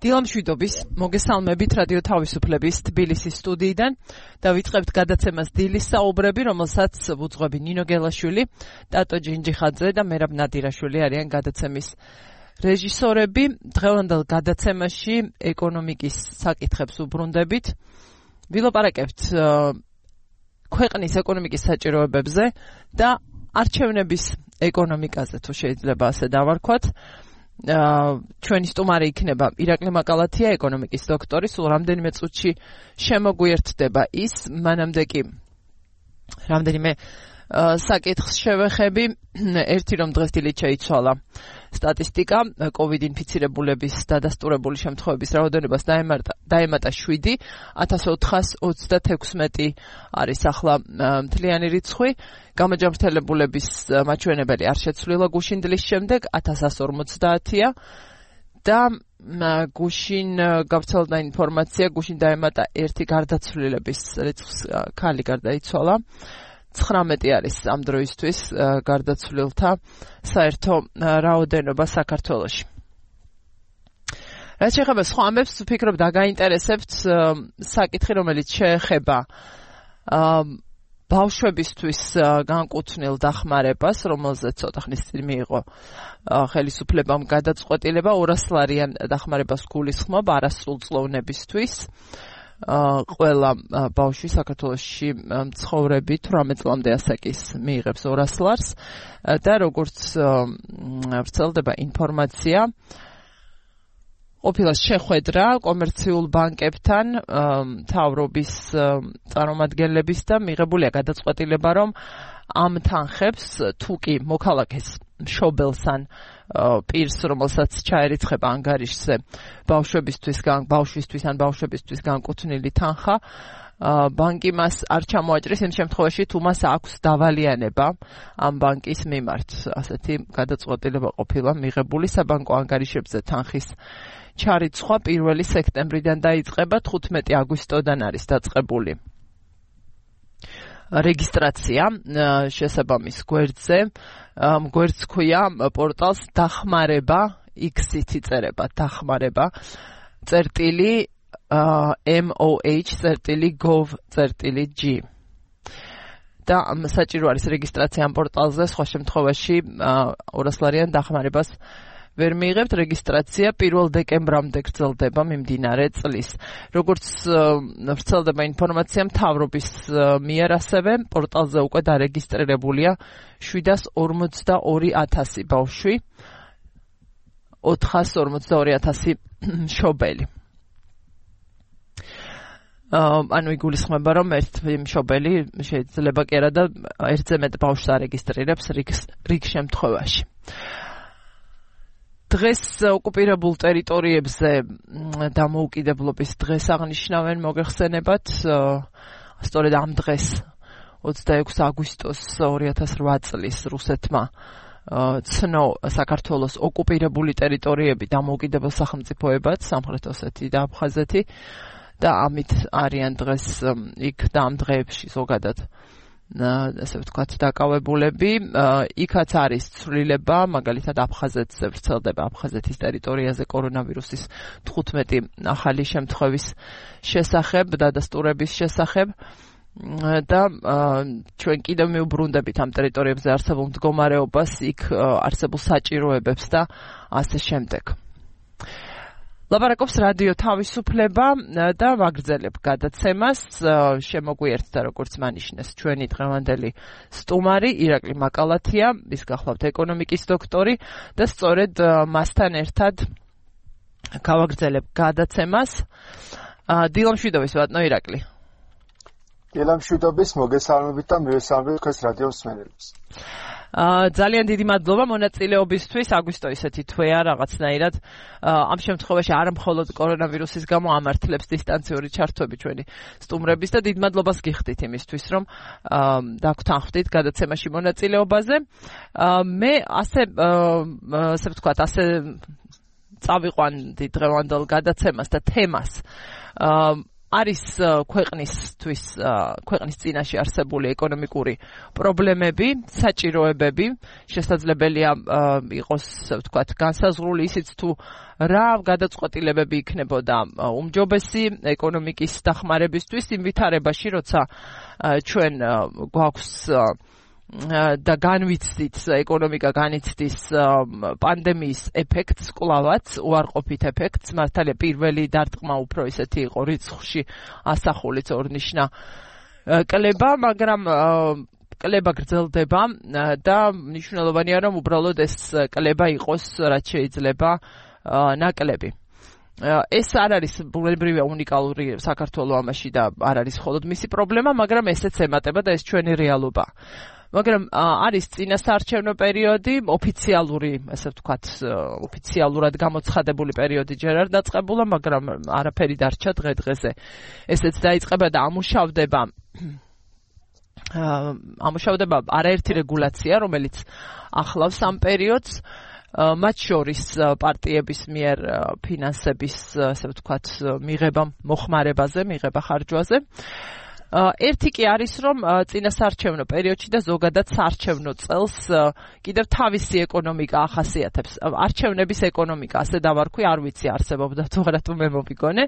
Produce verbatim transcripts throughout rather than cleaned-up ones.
დილამშვიდობის მოგესალმებით რადიო თავისუფლების თბილისის სტუდიიდან და ვიწყებთ გადაცემას დილის საუბრები, რომელსაც ვუძღვები ნინო გელაშვილი, ტატო ჯინჯიხაძე და მერაბ ნადირაშვილი არიან გადაცემის რეჟისორები. დღევანდელ გადაცემაში ეკონომიკის საკითხებს უბრუნდებით. ვილაპარაკებთ ქვეყნის ეკონომიკის საჭიროებებზე და არჩევნების ეკონომიკაზე, თუ შეიძლება ასე დავარქვათ. ჩვენი სტუმარი იქნება ირაკლი მაკალათია, ეკონომიკის დოქტორი. სულ რამდენიმე წუთში შემოგვიერთდება ის, მანამდე კი რამდენიმე საკითხს შევეხები. ერთი, რომ დღეს დილით შეიცვალა სტატისტიკა, კოვიდ ინფიცირებულების დადასტურებული შემთხვევების რაოდენობას დაემატა შვიდი, ათას ოთხას ოცდათექვსმეტი არის ახლა მთლიანი რიცხვი. გამოჯანმრთელებულების მაჩვენებელი არ შეცვლილა გუშინ დილის შემდეგ, ათას ასი ორმოცდაათია და გუშინ გავრცელდა ინფორმაცია, გუშინ დაემატა ერთი გარდაცვლილების რიცხვს, ქალი გარდაიცვალა. ცხრამეტი არის ამ დროისთვის გარდაცვლილთა საერთო რაოდენობა საქართველოში. რაც შეეხება სხვა ამბებს, ვფიქრობ დაგაინტერესებთ საკითხი, რომელიც შეეხება ბავშვებისთვის განკუთვნილ დახმარებას, რომელზეც ცოტა ხნის წინ მიიღო ხელისუფლებამ გადაწყვეტილება, ორასლარიან დახმარებას გულისხმობ არასრულწლოვნებისთვის. ყველა ბავშვი საქართველოში მცხოვრები თვრამეტ წლამდე ასაკის მიიღებს ორას ლარს და როგორც ვრცელდება ინფორმაცია, ყოფილა შეხვედრა კომერციულ ბანკებთან, მთავრობის წარმომადგენლების და მიღებულია გადაწყვეტილება, რომ ამ თანხებს თუ კი მოქალაქეს მშობელს ან პირს, რომელსაც ჩაერიცხება ანგარიშზე ბავშვებისთვის, ბავშვისთვის ან ბავშვებისთვის განკუთვნილი თანხა, ბანკი მას არ ჩამოაჭრის იმ შემთხვევაში, თუ მას აქვს დავალიანება ამ ბანკის მიმართ. ასეთი გადაწყვეტილება ყოფილა მიღებული. საბანკო ანგარიშებზე თანხის ჩარიცხვა პირველი სექტემბრიდან დაიწყება, თხუთმეტი აგვისტოდან არის დაწყებული რეგისტრაცია შესაბამის გვერდზე. გვერდს ქვია პორტალს დახმარება, X-ით იწერება დახმარება, წერტილი moh წერტილი gov წერტილი g. და საჭირო არის რეგისტრაცია ამ პორტალზე, სხვა შემთხვევაში ორასლარიან დახმარებას ვერ მიიღებთ. რეგისტრაცია პირველ დეკემბრამდე გრძელდება მიმდინარე წლის. როგორც ვრცელდება ინფორმაცია, მთავრობის მიერ ასევე პორტალზე უკვე დარეგისტრირებულია შვიდას ორმოცდაორი ათასი ბავშვი, ოთხას ორმოცდაორი ათასი მშობელი. ანუ იგულისხმება, რომ ერთ მშობელი შეიძლება კი არა და ერთზე მეტ ბავშვს არეგისტრირებს რიგ შემთხვევაში. დღეს ოკუპირებულ ტერიტორიებზე დამოუკიდებლობის დღეს აღნიშნავენ, მოგეხსენებათ, სწორედ ამ დღეს ოცდაექვსი აგვისტოს ორი ათას რვა წლის რუსეთმა ცნო საქართველოს ოკუპირებული ტერიტორიები დამოუკიდებელ სახელმწიფოებად, სამხრეთ ოსეთი და აფხაზეთი და ამით არიან დღეს იქ და ამ დღეებში ზოგადად ასე ვთქვათ დაკავებულები. იქაც არის ცვლილება, მაგალითად აფხაზეთზე ვრცელდება აფხაზეთის ტერიტორიაზე კორონავირუსის თხუთმეტი ახალი შემთხვევის შესახებ, დადასტურების შესახებ და ჩვენ კიდევ მიუბრუნდებით ამ ტერიტორიებზე არსებულ მდგომარეობას, იქ არსებულ საჭიროებებს და ასე შემდეგ. ლაპარაკობს რადიო თავისუფლება და ვაგრძელებ გადაცემას. შემოგვიერთდა, როგორც მანიშნეს, ჩვენი დღევანდელი სტუმარი ირაკლი მაკალათია, ის გახლავთ ეკონომიკის დოქტორი და სწორედ მასთან ერთად გავაგრძელებ გადაცემას. დილამშვიდობის ბატონო ირაკლი. დილამშვიდობის, მოგესალმებით და მივესალმებით თქვენს რადიო მსმენელებს. ძალიან დიდი მადლობა მონაწილეობისთვის. აგვისტო ისეთი თვეა რაღაცნაირად. ამ შემთხვევაში არ მხოლოდ კორონავირუსის გამო ამართლებს დისტანციური ჩართვები ჩვენი სტუმრების და დიდ მადლობას გიხდით იმისთვის, რომ დაგვთანხმდით გადაცემაში მონაწილეობაზე. მე ასე ასე ვთქვათ, ასე წავიყვანდი დღევანდელ გადაცემას და თემას. არის ქვეყნისთვის ქვეყნის წინაშე არსებული ეკონომიკური პრობლემები, საჭიროებები, შესაძლებელია იყოს, ვთქვათ, განსაზღვრული ისიც თუ რა გადაწყვეტილებები იქნებოდა უმჯობესი ეკონომიკის დახმარებისთვის იმ ვითარებაში, როცა ჩვენ გვაქვს და განვიცდით ეკონომიკა განიცდის პანდემიის ეფექტს, კლავაც უარყოფით ეფექტს, მართალია პირველი დარტყმა უფრო ისეთი იყო რიცხვში ასახულიც ორნიშნა კლება, მაგრამ კლება გრძელდება და მნიშვნელოვანია რომ უბრალოდ ეს კლება იყოს რაც შეიძლება ნაკლები. ეს არ არის ბუნებრივია უნიკალური საქართველოს ამაში და არ არის მხოლოდ მისი პრობლემა, მაგრამ ესეც ემატება და ეს ჩვენი რეალობა. მაგრამ არის წინასაარჩევნო პერიოდი, ოფიციალური, ასე ვთქვათ, ოფიციალურად გამოცხადებული პერიოდი ჯერ არ დაწყებულა, მაგრამ არაფერი დარჩა დღე-დღეზე. ესეც დაიწყება და ამუშავდება ამუშავდება არაერთი რეგულაცია, რომელიც ახლავს ამ პერიოდს, მათ შორის პარტიების მიერ ფინანსების, ასე ვთქვათ, მიღება მოხმარებაზე, მიღება ხარჯვაზე. ერთი კი არის, რომ წინასაარჩევნო პერიოდში და ზოგადად საარჩევნო წელს კიდევ თავისი ეკონომიკა ახასიათებს. არჩევნების ეკონომიკა, ასე დავარქვი, არ ვიცი არსებობდა თუ არა თუ მე მომიგონე.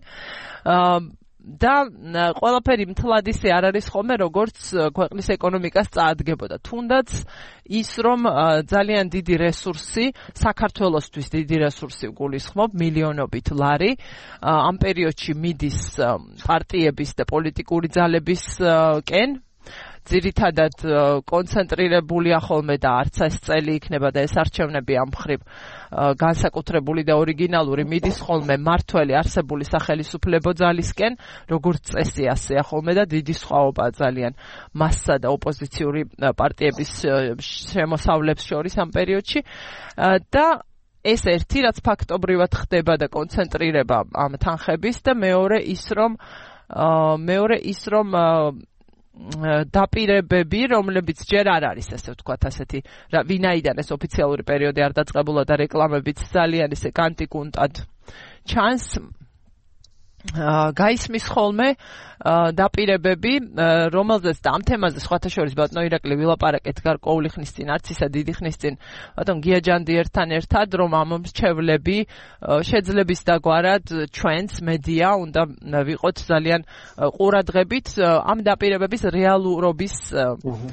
და ყველაფერი მთლად ისე არ არის ხოლმე, როგორც ქვეყნის ეკონომიკას წაადგებოდა. თუნდაც ის, რომ ძალიან დიდი რესურსი, საქართველოსთვის დიდი რესურსი გულისხმობ, მილიონობით ლარი, ამ პერიოდში მიდის პარტიების და პოლიტიკური ძალებისკენ, ძირითადად კონცენტრირებულია ხოლმე და არც ეს წელი იქნება და ეს არჩევნები ამ მხრივ განსაკუთრებული და ორიგინალური მიდის ხოლმე მართველი არსებული სახელისუფლებო ძალისკენ, როგორც წესი ასეა ხოლმე და დიდი სხვაობაა ძალიან მასსა და ოპოზიციური პარტიების შემოსავლებს შორის ამ პერიოდში და ეს ერთი, რაც ფაქტობრივად ხდება და კონცენტრირება ამ თანხების და მეორე ის, რომ მეორე ის, რომ დაპირებები, რომლებიც ჯერ არ არის, ასე ვთქვათ, ასეთი, ვინაიდან ეს ოფიციალური პერიოდი არ დაწყებულა და რეკლამებიც ძალიან ისე კანტიკუნტად ჩანს, გაისმის ხოლმე დაპირებები, რომელზეც და ამ თემაზე სხვათა შორის ბატონო ირაკლი ვილაპარაკეთ გარკვეული ხნის წინ, არც ისა დიდი ხნის წინ, ბატონ გია ჯანდიერთან ერთად, რომ ამ მრჩევლები შეძლების დაგვარად ჩვენც მედია უნდა ვიყოთ ძალიან ყურადღებით ამ დაპირებების რეალურობის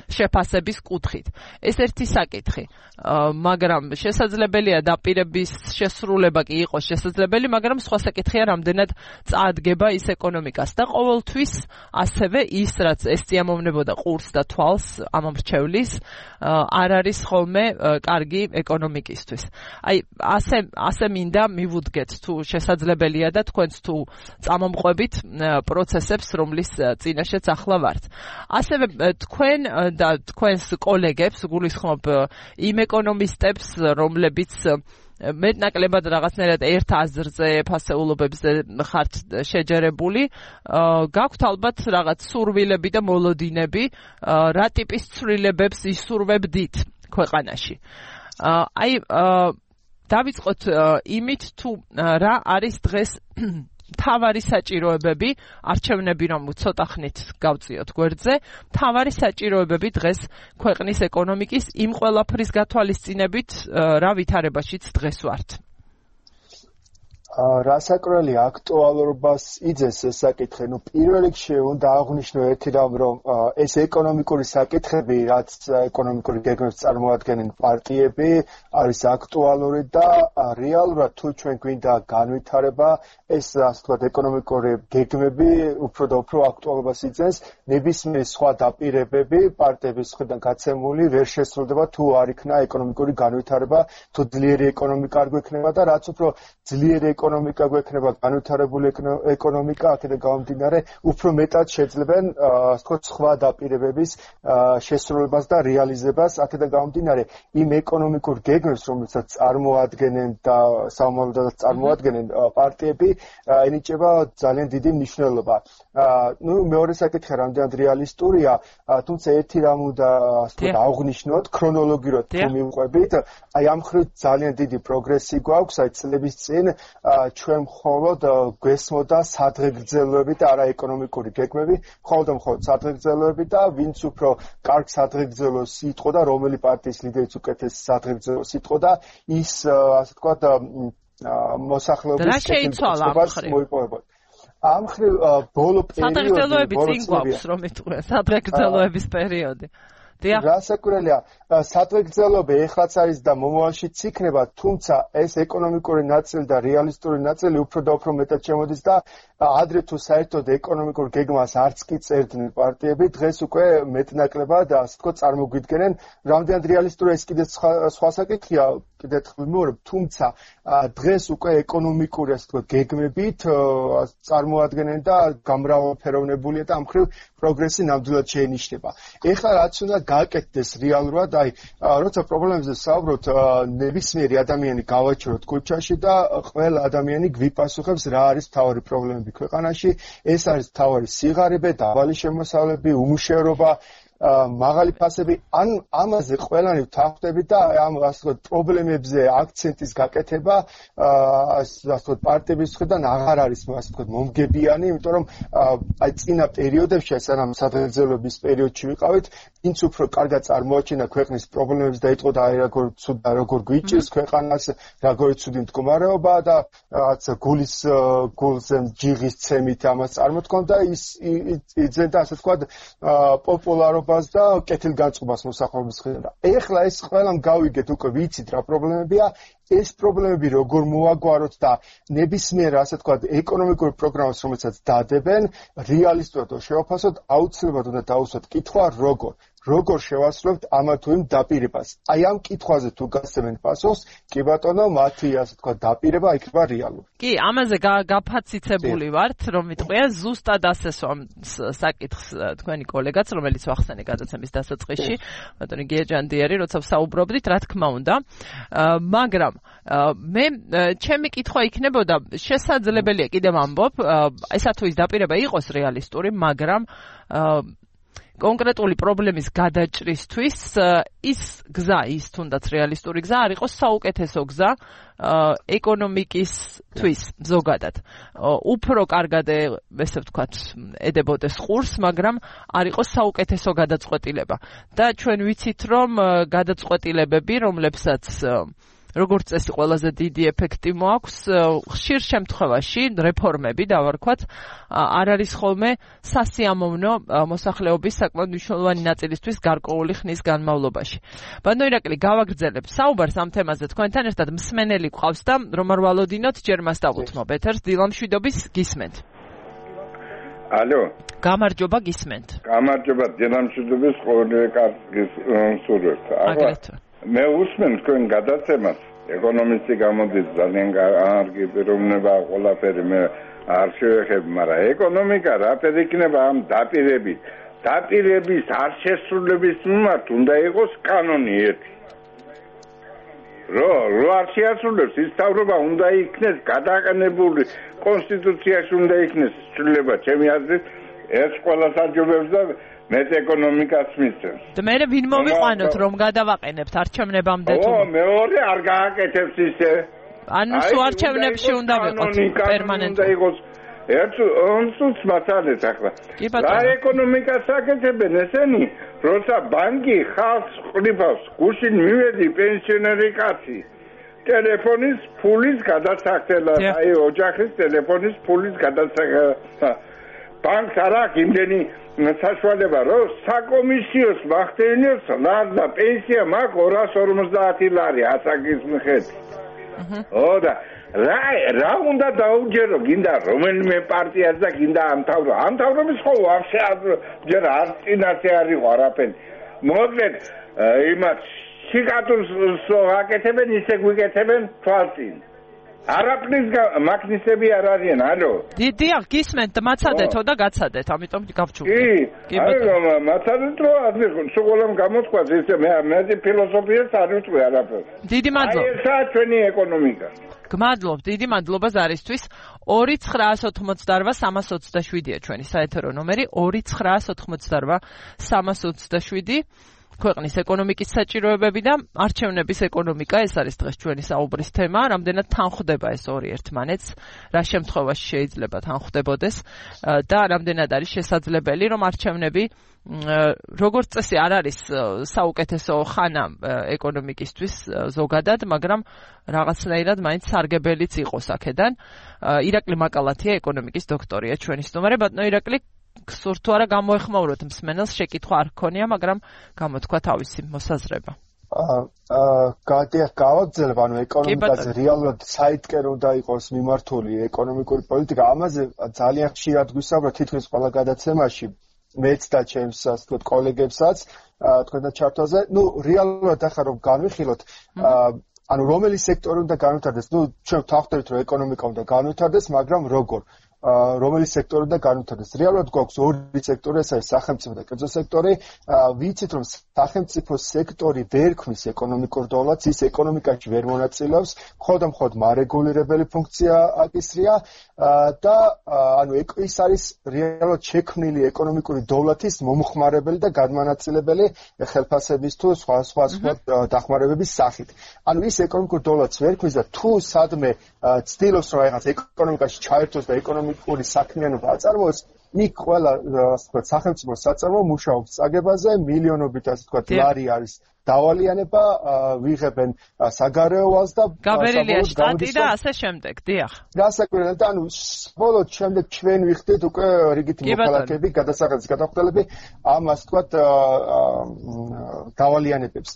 შეფასების კუთხით. ეს ერთი საკითხი, მაგრამ შესაძლებელია დაპირების შესრულება კი იყოს შესაძლებელი, მაგრამ სხვა საკითხია რამდენად წაადგება ის ეკონომიკას და ყოველთვის ასევე ის, რაც ეს წიამოვნებოდა ყურს და თვალს ამ მრჩევლის, არ არის ხოლმე კარგი ეკონომიკისთვის. აი, ასე ასე მინდა მივუდგეთ თუ შესაძლებელია და თქვენც თუ წამომყვებით პროცესებს, რომლის წინაშეც ახლა ვართ. ასევე თქვენ და თქვენს კოლეგებს გულისხმობ იმ ეკონომისტებს, რომლებიც მეტნაკლებად რაღაცნაირად ერთ აზრზე, ფასეულობებზე ხართ შეჯერებული, გაქვთ ალბათ რაღაც სურვილები და მოლოდინები, რა ტიპის ცვლილებებს ისურვებდით ქვეყანაში. აი, დავიწყოთ იმით, თუ რა არის დღეს მთავარი საჭიროებები, არჩევნები რომ ცოტა ხნით გავწიოთ გვერდზე, მთავარი საჭიროებები დღეს ქვეყნის ეკონომიკის იმ ყველაფრის გათვალისწინებით, რა ვითარებაშიც დღეს ვართ. რასაკრელი აქტუალურობას იძენს ეს საკითხი, ну პირველ რიგში უნდა აღვნიშნო ერთი რამ, რომ ეს ეკონომიკური საკითხები, რაც ეკონომიკური გეგმებს წარმოადგენენ პარტიები, არის აქტუალური და რეალურად თუ ჩვენ გვინდა განვითარება, ეს ასე ვთქვათ ეკონომიკური გეგმები უფრო და უფრო აქტუალობას იძენს, ნებისმიერი სხვა დაპირებები პარტიების მხრიდან გაცემული ვერ შესრულდება თუ არ იქნა ეკონომიკური განვითარება, თუ ძლიერი ეკონომიკა არ გვექნება და რაც უფრო ძლიერი ეკონომიკა გვექნება, განვითარებული ეკონომიკა, აქედან გამომდინარე, უფრო მეტად შეძლებენ, ასე ვთქვათ, სხვა დაპირებების შესრულებას და რეალიზებას, აქედან გამომდინარე, იმ ეკონომიკურ გეგმებს, რომელსაც წარმოადგენენ და საომავლოდაც წარმოადგენენ პარტიები, ენიჭება ძალიან დიდი მნიშვნელობა. ნუ მეორე საკითხი რამდენად რეალისტურია, თუმცა ერთი რამ უნდა ასე ვთქვათ, აღვნიშნოთ, ქრონოლოგიურად თუ მივყვებით, აი ამ მხრივ ძალიან დიდი პროგრესი გვაქვს, აი წლების წინ ჩვენ მხოლოდ გვესმოდა სადღეგრძელოები და არა ეკონომიკური გეგმები, მხოლოდ მხოლოდ სადღეგრძელოები და ვინც უფრო კარგ სადღეგრძელოს იტყოდა, რომელი პარტიის ლიდერიც უკეთეს სადღეგრძელოს იტყოდა, ის ასე ვთქვათ მოსახლეობის კეთილდღეობას მოიპოვებოდა. ამ ხრივ ბოლო პერიოდი სადღეგრძელოები წინ გვაქვს რომ იტყვია სადღეგრძელოების პერიოდი. გასაკურელია, სადღეგრძელოები ეხლაც არის და მომავალშიც იქნება, თუმცა ეს ეკონომიკური ნაწილი და რეალისტური ნაწილი უფრო და უფრო მეტად შემოდის და ადრე თუ საერთოდ ეკონომიკურ გეგმას არც კი წერდნენ პარტიები, დღეს უკვე მეტნაკლებად ასე ვთქვათ წარმოგვიდგენენ, რამდენად რეალისტურია ეს კიდე სხვა საკითხია, კიდე ვიმეორებ, თუმცა დღეს უკვე ეკონომიკური ასე ვთქვათ გეგმებით წარმოადგენენ და გამრავალფეროვნებულია და ამ ხრივ პროგრესი ნამდვილად შეინიშნება. ეხლა რაც უნდა გააკეთდეს რეალურად, აი, როცა პრობლემებზე საუბრობთ, ნებისმიერი ადამიანი გავაჩეროთ ქუჩაში და ყველა ადამიანი გვიპასუხებს, რა არის მთავარი პრობლემები ქვეყანაში. ეს არის მთავარი სიღარიბე, დაბალი შემოსავლები, უმუშევრობა, მაღალი ფასები, ან ამაზე ყველანი ვთანხმდებით და ამ ასე ვთქვათ პრობლემებზე აქცენტის გაკეთება ასე ვთქვათ პარტიების მხრიდან აღარ არის ასე ვთქვათ მომგებიანი, იმიტომ რომ აი წინა პერიოდებში, სანამ სადღეგრძელოების პერიოდში ვიყავით, ვინც უფრო კარგად წარმოაჩენა ქვეყნის პრობლემებს და იტყოდა აი როგორ ცუდ და როგორ გვიჭირს ქვეყანას, როგორ ცუდი მდგომარეობა და რაღაც გულის გულზე ჯიღის ცემით ამას წარმოთქონდა, ის იძენდა ასე ვთქვათ პოპულარობა და კეთილგანწყობას მოსახლეობის მხრიდან. ეხლა ეს ყველამ გავიგეთ, უკვე ვიცით რა პრობლემებია, ეს პრობლემები როგორ მოაგვაროთ და ნებისმიერ ასე ვთქვათ ეკონომიკურ პროგრამას, რომელსაც დადებენ, რეალისტურად შევაფასოთ, აუცილებლად უნდა დავუსვათ კითხვა, როგორ როგორ შევასრულებთ ამა თუ იმ დაპირებას. აი ამ კითხვაზე თუ გასცემენ პასუხს, კი ბატონო, მათი ასე ვთქვათ დაპირება იქნება რეალური. კი, ამაზე გაფაციცებული ვართ, რომ ვიტყვია, ზუსტად ასესვა საკითხს თქვენი კოლეგაც, რომელიც ვახსენე გადაცემის დასაწყისში, ბატონი გიეჯანდიერი, როცა ვსაუბრობდით, რა თქმა უნდა, მაგრამ მე ჩემი კითხვა იქნებოდა, შესაძლებელია კიდევ ვამბობ, ესა თუ ის დაპირება იყოს რეალისტური, მაგრამ კონკრეტული პრობლემის გადაჭრისთვის ის გზა, ის თუნდაც რეალისტური გზა არ იყოს საუკეთესო გზა ეკონომიკისთვის ზოგადად. უფრო კარგად ესე ვთქვათ, ედებოდეს ყურს, მაგრამ არ იყოს საუკეთესო გადაწყვეტილება. და ჩვენ ვიცით, რომ გადაწყვეტილებები, რომლებსაც როგორც წესი ყველაზე დიდი ეფექტი მოაქვს, ხშირ შემთხვევაში რეფორმები დავარქვათ, არ არის ხოლმე სასიამოვნო მოსახლეობის საკმაოდ მნიშვნელოვანი ნაწილისთვის გარკვეული ხნის განმავლობაში. ბატონო ირაკლი, გავაგრძელებ საუბარს ამ თემაზე თქვენთან ერთად, მსმენელი გვყავს და რომ არ ვალოდინოთ, ჯერ მას დავუთმობ ეთერს, დილამშვიდობის გისმენთ. ალო. გამარჯობა, გისმენთ. გამარჯობა, დილამშვიდობის ყოველივე კარგის სურვილთ. აგრეთვე. მე უსმენ თქვენ გადაცემას, ეკონომისტი გამოდის ძალიან კარგი პიროვნება, ყველაფერი მე არ შევეხებ, მაგრამ ეკონომიკა რაფერი იქნება ამ დაპირებით. დაპირების არ შესრულების მიმართ უნდა იყოს კანონი ერთი. რო რო არ შეასრულებს, ის თავრობა უნდა იქნეს გადაყენებული, კონსტიტუციაში უნდა იქნეს ცვლილება, ჩემი აზრით, ეს ყველა საჯობებს და მეც ეკონომიკას მისცემს. და მე ვინ მოვიყვანოთ რომ გადავაყენებთ არჩევნებამდე თუ? ო, მეორე არ გააკეთებს ისე. ანუ სულ არჩევნებში უნდა ვიყოთ პერმანენტულად. უნდა იყოს ერთ ონსუც მასალეს ახლა. რა ეკონომიკას აკეთებენ ესენი, როცა ბანკი ხალხს ყრიფავს, გუშინ მივედი პენსიონერი კაცი. ტელეფონის ფულის გადასახდელა, აი ოჯახის ტელეფონის ფულის გადასახდელა. ბანკს არ აქვს იმდენი საშუალება, რომ საკომისიოს მახდენიოს ლარდა პენსია მაქვს ორას ორმოცდაათი ლარი ასაკის მიხედვით. ო და რა რა უნდა დაუჯერო, გინდა რომელიმე პარტიას და გინდა ამთავრო. ამთავრობის ხო ვაფშე ჯერ არ წინასე არ იყო არაფერი. მოკლედ იმათ სიკატურს აკეთებენ, ისე გვიკეთებენ თვალწინ. არაფრის მაგნისები არ არიან, ალო. დიახ, გისმენთ, მაცადეთო და გაცადეთ, ამიტომ გავჩუქდი. კი, აი, მაცადეთ რო ასე სულ გამოთქვას ესე მე მე ფილოსოფიას არ ვიტყვი არაფერს. დიდი მადლობა. აი ესაა ჩვენი ეკონომიკა. გმადლობ, დიდი მადლობა ზარისთვის. ორი ცხრაას ოთხმოცდაორვა სამას ოცდაშვიდია ჩვენი საეთერო ნომერი, ორი ცხრაას ოთხმოცდაორვა სამას ოცდაშვიდი. ქვეყნის ეკონომიკის საჭიროებები და არჩევნების ეკონომიკა, ეს არის დღეს ჩვენი საუბრის თემა, რამდენად თანხვდება ეს ორი ერთმანეთს, რა შემთხვევაში შეიძლება თანხვდებოდეს და რამდენად არის შესაძლებელი, რომ არჩევნები როგორც წესი არ არის საუკეთესო ხანა ეკონომიკისთვის ზოგადად, მაგრამ რაღაცნაირად მაინც სარგებელიც იყოს აქედან. ირაკლი მაკალათია ეკონომიკის დოქტორია ჩვენი სტუმარი. ბატონო ირაკლი, გსურთ თუ არა გამოეხმაუროთ მსმენელს, შეკითხვა არ გქონია, მაგრამ გამოთქვა თავისი მოსაზრება. აა გადია გავაგზავნებ, ანუ ეკონომიკაზე რეალურად საითკენ უნდა იყოს მიმართული ეკონომიკური პოლიტიკა. ამაზე ძალიან ხშირად გვისაუბრა თითქმის ყველა გადაცემაში. მეც და ჩემს ასე ვთქვათ კოლეგებსაც თქვენთან ჩართვაზე. ნუ რეალურად ახლა რომ განვიხილოთ, ანუ რომელი სექტორი უნდა განვითარდეს? ნუ ჩვენ ვთანხმდებით რომ ეკონომიკა უნდა განვითარდეს, მაგრამ როგორ? რომელი სექტორი უნდა განვითარდეს? რეალურად გვაქვს ორი სექტორი, ეს არის სახელმწიფო და კერძო სექტორი. ვიცით რომ სახელმწიფო სექტორი ვერ ქმნის ეკონომიკურ დოლარს, ის ეკონომიკაში ვერ მონაწილეობს, მხოლოდ მხოლოდ მარეგულირებელი ფუნქცია აკისრია და ანუ ის არის რეალურად შექმნილი ეკონომიკური დოლარის მომხმარებელი და განმანაწილებელი ხელფასების თუ სხვა სხვა სხვა დახმარებების სახით. ანუ ის ეკონომიკურ დოლარს ვერ ქმნის და თუ სადმე ცდილობს რომ რაღაც ეკონომიკაში ჩაერთოს და ეკონომიკური საქმიანობა აწარმოოს, იქ ყველა ასე ვთქვათ სახელმწიფო საწარმო მუშაობს წაგებაზე, მილიონობით ასე ვთქვათ ლარი არის დავალიანება, ვიღებენ საგარეო ვალს და გაბერილია შტატი და ასე შემდეგ. დიახ. გასაკვირად, ანუ ბოლოს შემდეგ ჩვენ ვიხდით უკვე რიგითი მოქალაქეები, გადასახადის გადახდელები ამ ასე ვთქვათ დავალიანებებს.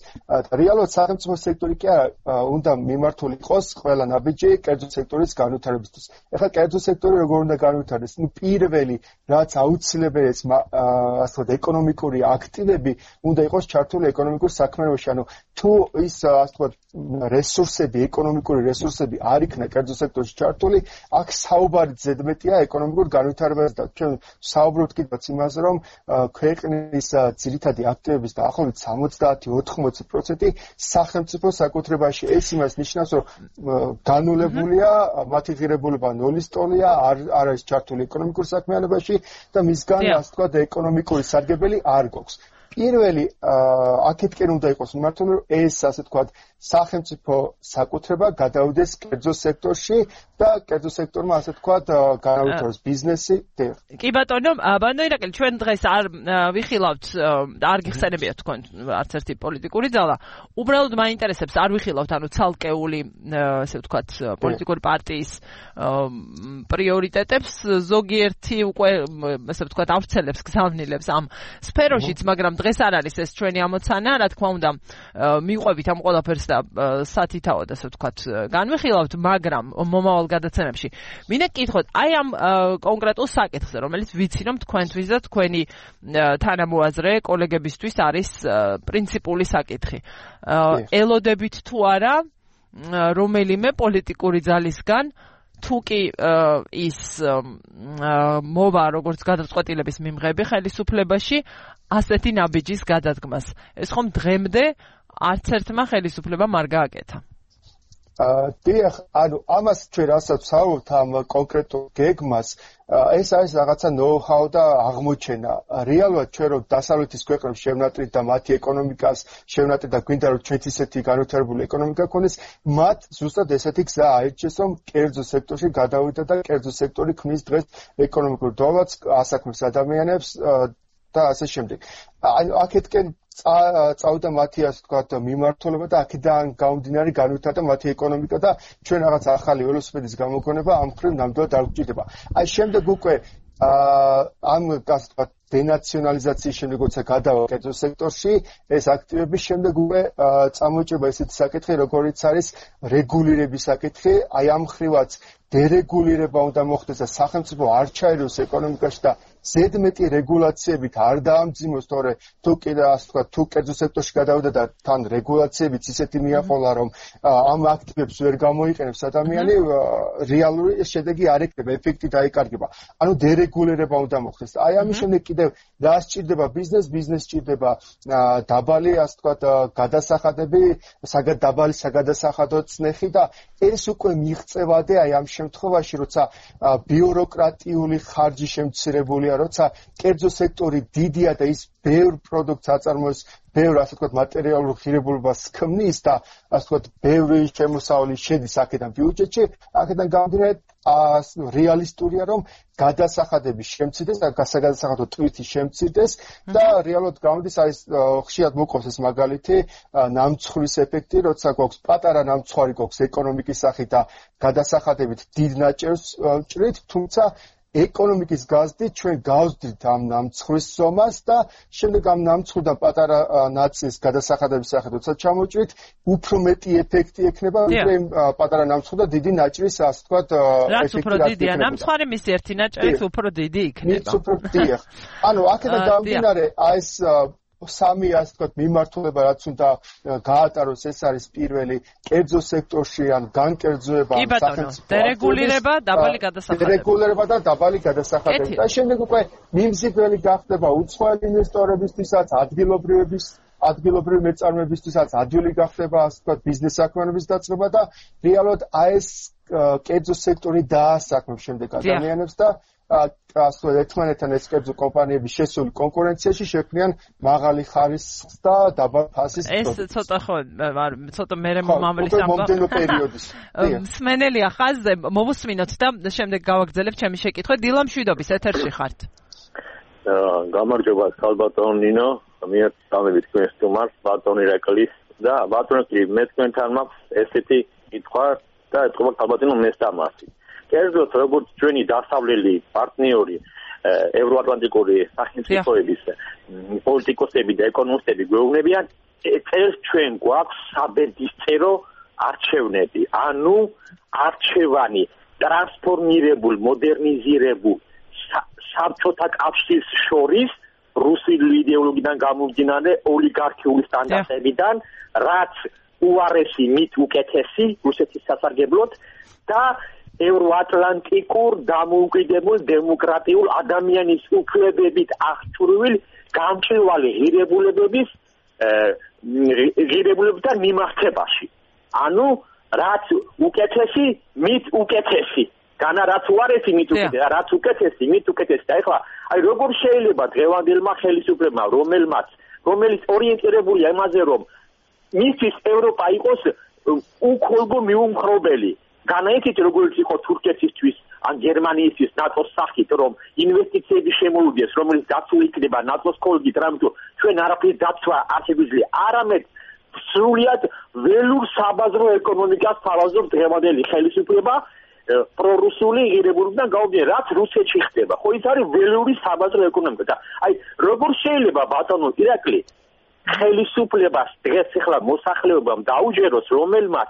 რეალურად სახელმწიფო სექტორი კი უნდა მიმართული იყოს ყველა ნაბიჯი კერძო სექტორის განვითარებისთვის. ეხლა კერძო სექტორი როგორ უნდა განვითარდეს? ნუ პირველი რაც აუცილებელი ეს ასე ვთქვათ ეკონომიკური აქტივები უნდა იყოს ჩართული ეკონომიკურ საქმეებში. ანუ თუ ის ასე ვთქვათ რესურსები, ეკონომიკური რესურსები არ იქნა კერძო სექტორში ჩართული, აქ საუბარი ზედმეტია ეკონომიკურ განვითარებაზე და ჩვენ საუბრობთ კიდევ იმაზე, რომ ქვეყნის ძირითადი აქტივების დაახლოებით სამოცდაათი ოთხმოცი პროცენტი სახელმწიფო საკუთრებაში. ეს იმას ნიშნავს, რომ განულებულია, მათი ღირებულება ნულის ტოლია, არ არ არის ჩართული ეკონომიკურ საქმიანობაში და მისგან ასე ვთქვათ ეკონომიკური სარგებელი არ გვაქვს. პირველი აქეთკენ უნდა იყოს მიმართული, რომ ეს ასე ვთქვათ სახელმწიფო საკუთრება გადავიდეს კერძო სექტორში და კერძო სექტორმა ასე ვთქვათ განავითაროს ბიზნესი. კი ბატონო, ბატონო ირაკლი, ჩვენ დღეს არ ვიხილავთ, არ გიხსენებიათ თქვენ არც ერთი პოლიტიკური ძალა. უბრალოდ მაინტერესებს, არ ვიხილავთ, ანუ ცალკეული ასე ვთქვათ პოლიტიკური პარტიის პრიორიტეტებს, ზოგიერთი უკვე ასე ვთქვათ ავრცელებს, გზავნილებს ამ სფეროშიც, მაგრამ დღეს არ არის ეს ჩვენი ამოცანა, რა თქმა უნდა, მიყვებით ამ ყველაფერს და სათითაოდ ასე ვთქვათ განვიხილავთ, მაგრამ მომავალ გადაცემებში მინდა გკითხოთ აი ამ კონკრეტულ საკითხზე, რომელიც ვიცი რომ თქვენთვის და თქვენი თანამოაზრე კოლეგებისთვის არის პრინციპული საკითხი. ელოდებით თუ არა რომელიმე პოლიტიკური ძალისგან თუ კი ის მოვა როგორც გადაწყვეტილების მიმღები ხელისუფლებაში ასეთი ნაბიჯის გადადგმას. ეს ხომ დღემდე არც ერთმა ხელისუფლებამ არ გააკეთა. დიახ, ანუ ამას ჩვენ რასაც ვსაუბრობთ ამ კონკრეტულ გეგმას, ეს არის რაღაცა ნოუ-ჰაუ და აღმოჩენა. რეალურად ჩვენ რომ დასავლეთის ქვეყნებს შევნატრით და მათი ეკონომიკას შევნატრით და გვინდა რომ ჩვენც ისეთი განვითარებული ეკონომიკა ქონდეს, მათ ზუსტად ესეთი გზა აირჩიეს, რომ კერძო სექტორში გადავიდა და კერძო სექტორი ქმნის დღეს ეკონომიკურ დოლარს, ასაქმეს ადამიანებს და ასე შემდეგ. ანუ აქეთკენ წავიდა მათი ასე ვთქვათ მიმართულება და აქედან გამომდინარე განვითარდა მათი ეკონომიკა და ჩვენ რაღაც ახალი ველოსიპედის გამოგონება ამ მხრივ ნამდვილად არ გვჭირდება. აი შემდეგ უკვე ამ ასე ვთქვათ დენაციონალიზაციის შემდეგ როცა გადავა კერძო სექტორში, ეს აქტივების შემდეგ უკვე წამოიჭრება ესეთი საკითხი, როგორიც არის რეგულირების საკითხი, აი ამ მხრივაც დერეგულირება უნდა მოხდეს და სახელმწიფო არ ჩაეროს ეკონომიკაში და ზედმეტი რეგულაციებით არ დაამძიმოს, თორე თუ კიდე ასე ვთქვათ, თუ კერძო სექტორში გადავიდა და თან რეგულაციებიც ისეთი მიაყოლა, რომ ამ აქტივებს ვერ გამოიყენებს ადამიანი, რეალური შედეგი არ ექნება, ეფექტი დაიკარგება. ანუ დერეგულირება უნდა მოხდეს. აი ამის შემდეგ კიდევ რა სჭირდება ბიზნეს, ბიზნეს სჭირდება დაბალი, ასე ვთქვათ, გადასახადები, დაბალი საგადასახადო წნეხი და ეს უკვე მიღწევადე აი ამ შემთხვევაში, როცა ბიუროკრატიული ხარჯი შემცირებული შემიძლია, როცა კერძო სექტორი დიდია და ის ბევრ პროდუქტს აწარმოებს, ბევრ ასე ვთქვათ მატერიალურ ღირებულებას ქმნის და ასე ვთქვათ ბევრი შემოსავალი შედის აქედან ბიუჯეტში, აქედან გამომდინარე რეალისტურია, რომ გადასახადები შემცირდეს და გასაგადასახადო ტვირთი შემცირდეს და რეალურად გამოდის არის ხშირად მოყავს ეს მაგალითი ნამცხვრის ეფექტი, როცა გვაქვს პატარა ნამცხვარი გვაქვს ეკონომიკის სახით და გადასახადებით დიდ ნაჭერს ჭრით, თუმცა ეკონომიკის გაზრდით ჩვენ გავზრდით ამ ნამცხვრის ზომას და შემდეგ ამ ნამცხრიდან პატარა ნაწილს გადასახადების სახით როცა ჩამოჭრით, უფრო მეტი ეფექტი ექნება, ვიდრე პატარა ნამცხვრი და დიდი ნაჭრის, ასე ვთქვათ, რაც უფრო დიდია ნამცხვარი, მის ერთი ნაჭრიც უფრო დიდი იქნება. მის უფრო დიდია. ანუ აქედან გამომდინარე, აი ეს სამი ასე ვთქვათ მიმართულება რაც უნდა გაატაროს, ეს არის პირველი კერძო სექტორში ან განკერძოება სახელმწიფო დერეგულირება, დაბალი გადასახადები. დერეგულირება და დაბალი გადასახადები. და შემდეგ უკვე მიმზიდველი გახდება უცხოელი ინვესტორებისთვისაც, ადგილობრივების ადგილობრივი მეწარმეებისთვისაც ადვილი გახდება ასე ვთქვათ ბიზნეს საქმიანობის დაწყება და რეალურად აი ეს კერძო სექტორი დაასაქმებს შემდეგ ადამიანებს და ასე ერთმანეთთან ეს კერძო კომპანიები შესული კონკურენციაში შექმნიან მაღალი ხარისხის და დაბალ ფასის პროდუქტს. ეს ცოტა ხო ცოტა მერე მომავლის მომდენო პერიოდის. მსმენელია ხაზზე, მოვუსმინოთ და შემდეგ გავაგრძელებთ ჩემი შეკითხვა. დილა მშვიდობის ეთერში ხართ. გამარჯობა, სალბატონო ნინო, მე წამებით თქვენს სტუმარს, ბატონი რეკლის და ბატონი მე თქვენთან მაქვს ესეთი კითხვა და ეთქობა სალბატონო მესტამასი. კერძოდ როგორც ჩვენი დასავლელი პარტნიორი ევროატლანტიკური სახელმწიფოების პოლიტიკოსები და ეკონომისტები გვეუბნებიან, წელს ჩვენ გვაქვს საბედისწერო არჩევნები, ანუ არჩევანი ტრანსფორმირებულ, მოდერნიზირებულ საბჭოთა კავშირს შორის რუსული იდეოლოგიიდან გამომდინარე ოლიგარქიული სტანდარტებიდან, რაც უარესი მით უკეთესი რუსეთის სასარგებლოდ და ევროატლანტიკურ დამოუკიდებელ დემოკრატიულ ადამიანის უფლებებით აღჭურვილ გამჭვირვალე ღირებულებების ღირებულებებთან მიმართებაში. ანუ რაც უკეთესი, მით უკეთესი. განა რაც უარესი, მით უკეთესი, რაც უკეთესი, მით უკეთესი. და ეხლა აი როგორ შეიძლება დღევანდელმა ხელისუფლებამ, რომელმაც რომელიც ორიენტირებულია იმაზე, რომ მისთვის ევროპა იყოს უქოლგო მიუმხრობელი. განაიცით როგორც იყო თურქეთისთვის ან გერმანიისთვის ნატოს სახით, რომ ინვესტიციები შემოუდგეს, რომელიც დაცული იქნება ნატოს კოლგით, რამეთუ ჩვენ არაფრის დაცვა არ შეგვიძლია, არამედ სრულიად ველურ საბაზრო ეკონომიკას თავაზობს დღევანდელი ხელისუფლება პრორუსული ღირებულებიდან გამომდინარე, რაც რუსეთში ხდება. ხო ის არის ველური საბაზრო ეკონომიკა და აი როგორ შეიძლება ბატონო ირაკლი ხელისუფლებას დღეს ახლა მოსახლეობამ დაუჯეროს, რომელმაც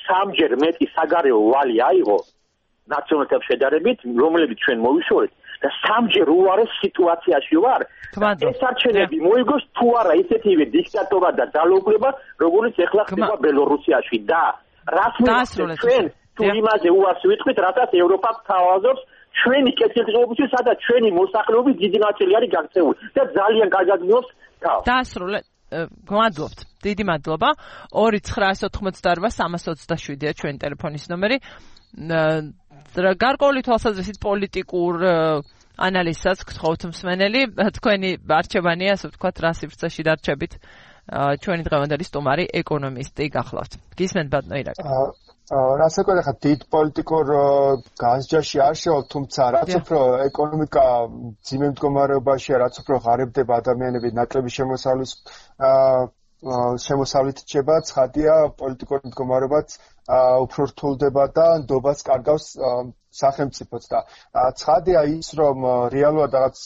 სამჯერ მეტი საგარეო ვალი აიღო ნაციონალთან შედარებით, რომლებიც ჩვენ მოვიშორეთ და სამჯერ უარეს სიტუაციაში ვარ. ეს არჩევნები მოიგოს თუ არა ისეთივე დიქტატორად და ძალაუფლება, როგორც ახლა ხდება ბელორუსიაში და რას მივახცევთ ჩვენ თუ იმაზე უარს ვიტყვით, რატაც ევროპა თავაზობს ჩვენი კეთილდღეობისთვის, სადაც ჩვენი მოსახლეობის დიდი ნაწილი არის გაქცეული და ძალიან კარგად მიობს თავს. დაასრულეთ. გმადლობთ. დიდი მადლობა. ორი ცხრაას ოთხმოცდაორვა სამას ოცდაშვიდია ჩვენი ტელეფონის ნომერი. გარკვეული თვალსაზრისით პოლიტიკურ ანალიზსაც გთხოვთ მსმენელი. თქვენი არჩევანია, ასე ვთქვათ, რა სივრცეში დარჩებით. ჩვენი დღევანდელი სტუმარი ეკონომისტი გახლავთ. გისმენთ ბატონო ირაკლი. რაც ეკონა ხა დიდ პოლიტიკურ განსჯაში არ შევალ, თუმცა რაც უფრო ეკონომიკა ძიმე მდგომარეობაშია, რაც უფრო ღარიბდება ადამიანები ნაკლები შემოსავლის შემოსავლით რჩება, ცხადია პოლიტიკური მდგომარეობაც უფრო რთულდება და ნდობას კარგავს სახელმწიფოც და ცხადია ის, რომ რეალურად რაღაც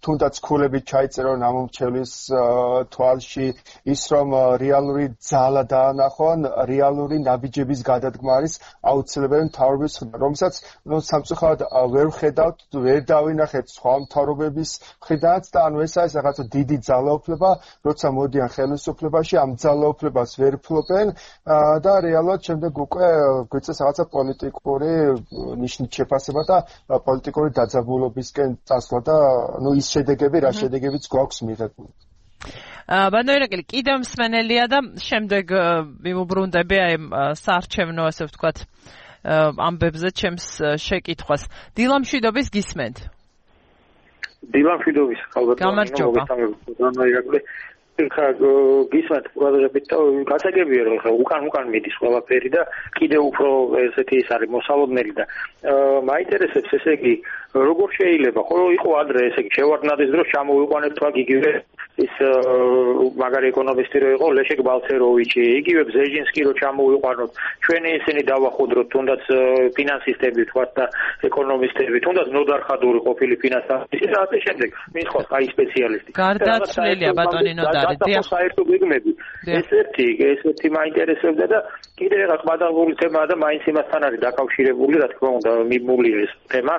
თუნდაც ქულები ჩაიწერონ ამომრჩევლის თვალში, ის რომ რეალური ძალა დაანახონ, რეალური ნაბიჯების გადადგმა არის აუცილებელი მთავრობის მხრიდან, რომელსაც სამწუხაროდ ვერ ვხედავთ, ვერ დავინახეთ სხვა მთავრობების მხრიდანაც და ანუ ეს არის რაღაცა დიდი ძალაუფლება, როცა მოდიან ხელისუფლებაში, ამ ძალაუფლებას ვერ ფლობენ და რეალურად შემდეგ უკვე გვიწევს რაღაცა პოლიტიკური ნიშნით შეფასება და პოლიტიკური დაძაბულობისკენ წასვლა და ნუ ის შედეგები, რა შედეგებიც გვაქვს მიღებული. ბატონო ირაკლი, კიდევ მსმენელია და შემდეგ მიმოbrunდები აი საარჩევნო, ასე ვთქვათ, ამბებზე ჩემს შეკითხვას. დილა მშვიდობის, გისმენთ. დილან ფიდოვის ალბათ მოგესალმებით. ხა გისმენთ ყურადღებით და გასაგებია რომ ხა უკან უკან მიდის ყველაფერი და კიდე უფრო ესეთი ის არის მოსალოდნელი და მაინტერესებს ესე იგი როგორ შეიძლება ხოლო იყო ადრე ესე იგი შევარდნადეს დროს ჩამოვიყვანეთ თქვა იგივე ის მაგარი ეკონომისტი რო იყო ლეშეკ ბალცეროვიჩი იგივე ბზეჟინსკი რო ჩამოვიყვანოთ ჩვენი ისინი დავახუდროთ თუნდაც ფინანსისტები თქვა და ეკონომისტები თუნდაც ნოდარ ხადური ყოფილი ფინანსისტი და ასე შემდეგ მის ხო აი სპეციალისტი გარდაცვლილია ბატონი ნოდარი და საერთო გეგმები ესეთი ესეთი მაინტერესებდა და კიდე რაღაც ბადალღური თემაა და მაინც იმასთან არის დაკავშირებული რა თქმა უნდა მიმული ეს თემა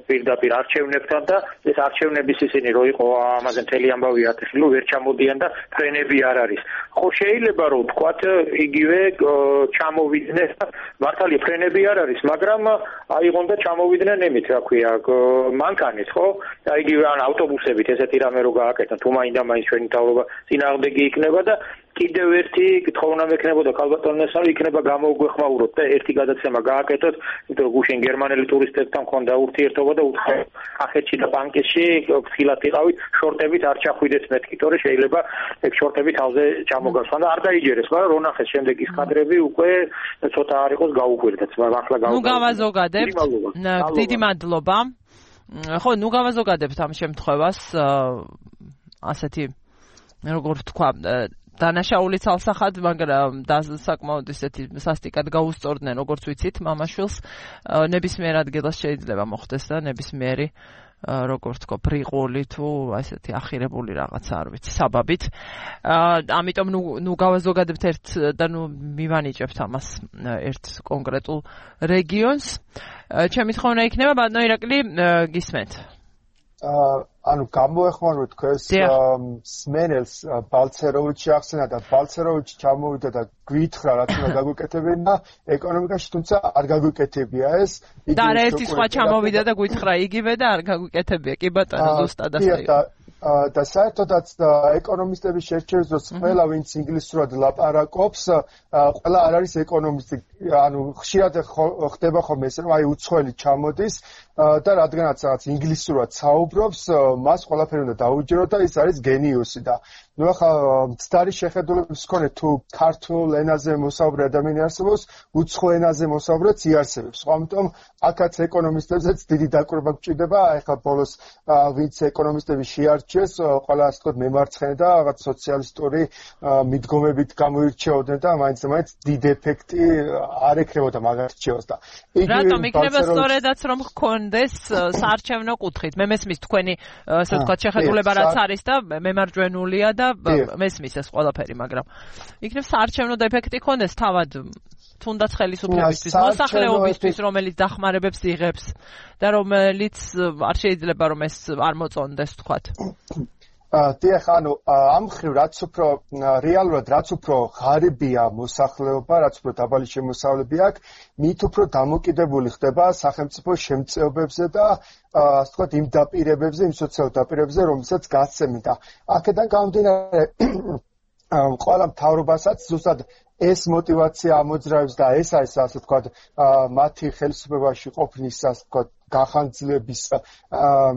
პირდაპირ არჩევნებთან და ეს არჩევნების ისინი რო იყო ამაზე მთელი ამბავი ათეშლო ვერ ჩამოდიან და ფრენები არ არის ხო შეიძლება რომ თქვათ იგივე ჩამოვიდნენ მართალია ფრენები არ არის მაგრამ აიღონ და ჩამოვიდნენ ემით რა ქვია მანქანით ხო და იგივე ან ავტობუსებით ესეთი რამე რო გააკეთონ თუ მაინდა მაინც ჩვენი თავობა წინააღმდეგი იქნება და კიდევ ერთი კითხვა მექნებოდა ქალბატონესთან იქნება გამოუგვეხმაუროთ და ერთი გადაცემა გააკეთოთ იმიტომ რომ გუშინ გერმანელი ტურისტებთან მქონდა ურთიერთობა და უთხრა ახეთში და პანკისში ფხილად იყავით შორტებით არ ჩახვიდეთ მეთქი თორე შეიძლება ეგ შორტები თავზე ჩამოგასვან და არ დაიჯერეს მაგრამ რო ნახეს შემდეგ ის კადრები უკვე ცოტა არ იყოს გაუკვირდეთ მაგრამ ახლა გაუკვირდეთ ნუ გავაზოგადებთ დიდი მადლობა ხო ნუ გავაზოგადებთ ამ შემთხვევას ასეთი როგორ ვთქვა დანაშაული ცალსახად მაგრამ საკმაოდ ისეთი სასტიკად გაუსწორდნენ როგორც ვიცით მამაშვილს ნებისმიერ ადგილას შეიძლება მოხდეს და ნებისმიერი როგორც თქო პრიყული თუ ასეთი ახირებული რაღაცა არ ვიცი საბაბით ამიტომ ნუ ნუ გავაზოგადებთ ერთ და ნუ მივანიჭებთ ამას ერთ კონკრეტულ რეგიონს ჩემი თხოვნა იქნება ბატონო ირაკლი გისმენთ ანუ გამოეხმაროთ თქვენს სმენელს ბალცეროვიჩი ახსენა და ბალცეროვიჩი ჩამოვიდა და გვითხრა რაც უნდა გაგვიკეთებინა და ეკონომიკაში თუმცა არ გაგვიკეთებია ეს და რა ერთი სხვა ჩამოვიდა და გვითხრა იგივე და არ გაგვიკეთებია კი ბატონო ზუსტად ასე და საერთოდაც ეკონომისტების შერჩევის დროს ყველა ვინც ინგლისურად ლაპარაკობს ყველა არ არის ეკონომისტი ანუ ხშირად ხდება ხოლმე ეს აი უცხოელი ჩამოდის და რადგანაც რაღაც ინგლისურად საუბრობს მას ყველაფერი უნდა დაუჯეროთ და ის არის გენიოსი და ნუ ახლა მცდარი შეხედულების მქონე თუ ქართულ ენაზე მოსაუბრე ადამიანი არსებობს უცხო ენაზე მოსაუბრეც იარსებებს ხო ამიტომ აქაც ეკონომისტებზეც დიდი დაკვირვება გჭირდება ახლა ბოლოს ვინც ეკონომისტები შეარჩიეს ყველა ასე ვთქვათ მემარცხენე და რაღაც სოციალისტური მიდგომებით გამოირჩეოდნენ და მაინც მაინც დიდ ეფექტი არ ეკრებოდა მაგარჩევას და რატომ იქნება სწორედაც რომ გქონდეს საარჩევნო კუთხით მე მესმის თქვენი ასე ვთქვათ შეხედულება რაც არის და მემარჯვენულია და მესმის ეს ყველაფერი მაგრამ იქნებ საარჩევნო ეფექტი ქონდეს თავად თუნდაც ხელისუფლებისთვის მოსახლეობისთვის რომელიც დახმარებებს იღებს და რომელიც არ შეიძლება რომ ეს არ მოწონდეს ვთქვათ დიახ, ანუ ამ ხრივ რაც უფრო რეალურად რაც უფრო ღარიბია მოსახლეობა, რაც უფრო დაბალი შემოსავლები აქვს, მით უფრო დამოკიდებული ხდება სახელმწიფო შემწეობებზე და ასე ვთქვათ იმ დაპირებებზე, იმ სოციალურ დაპირებებზე, რომელსაც გასცემდა. აქედან გამომდინარე ყველა მთავრობასაც ზუსტად ეს мотивация ამოძრავებს და ეს არის ასე ვთქვათ მათი ხელისუფლებაში ყოფნის ასე ვთქვათ გახანძლების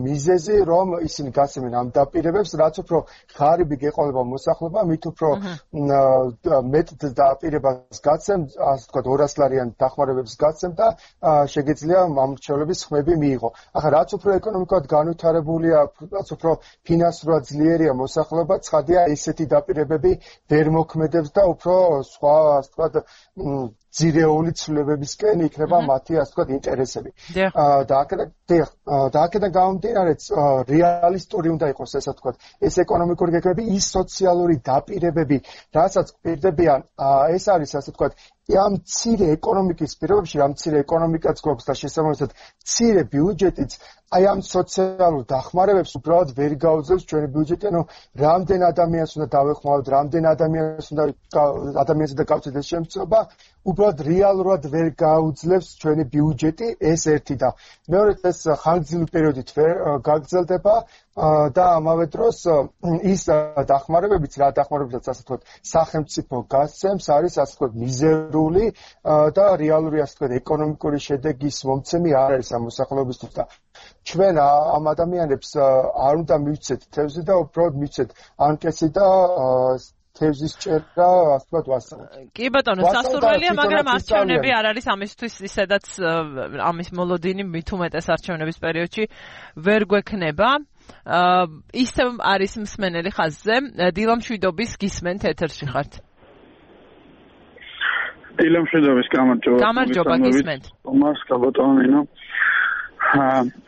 მიზეზი რომ ისინი გასცემენ ამ დაპირებებს რაც უფრო ღარიბი გეყოლება მოსახლეობა მით უფრო მეტ დაპირებას გაცემ ასე ვთქვათ ორას ლარიან დახმარებებს გაცემ და შეგეძლია მამრჩევლების ხმები მიიღო. ახლა რაც უფრო ეკონომიკურად განვითარებულია, რაც უფრო ფინანსურად ძლიერია მოსახლეობა, ცხადია ესეთი დაპირებები ვერ მოქმედებს და უფრო სხვა ასე ვთქვათ ძირეული ცვლილებებისკენ იქნება მათი ასე ვთქვათ ინტერესები. და აქედან და აქედან გამომდინარე რეალისტური უნდა იყოს ესე ვთქვათ ეს ეკონომიკური გეგმები, ის სოციალური დაპირებები, რასაც პირდებიან, ეს არის ასე ვთქვათ ამ მცირე ეკონომიკის პირობებში, ამ მცირე ეკონომიკაც გვაქვს და შესაბამისად მცირე ბიუჯეტიც აი ამ სოციალურ დახმარებებს უბრალოდ ვერ გაუძლებს ჩვენი ბიუჯეტი, ანუ რამდენ ადამიანს უნდა დავეხმაროთ, რამდენ ადამიანს უნდა ადამიანს უნდა გავწევთ ეს შემწეობა, უბრალოდ რეალურად ვერ გაუძლებს ჩვენი ბიუჯეტი, ეს ერთი და მეორედ ეს ხანგრძლივი პერიოდით ვერ გაგრძელდება და ამავე დროს ის დახმარებებიც რა დახმარებებიც ასე ვთქვათ სახელმწიფო გასცემს არის ასე ვთქვათ მიზერული და რეალური ასე ვთქვათ ეკონომიკური შედეგის მომცემი არ არის ამ მოსახლეობისთვის და ჩვენ ამ ადამიანებს არ უნდა მივცეთ თევზი და უბრალოდ მივცეთ ანკეტი და თევზის ჭერა ასე ვასწავლოთ. კი ბატონო, სასურველია, მაგრამ არჩევნები არ არის ამისთვის ისედაც ამის მოლოდინი მით უმეტეს არჩევნების პერიოდში ვერ გვექნება. ისევ არის მსმენელი ხაზზე. დილამ შვიდობის გისმენთ ეთერში ხართ. დილამ შვიდობის გამარჯობა. გამარჯობა გისმენთ. მას გაბატონინო.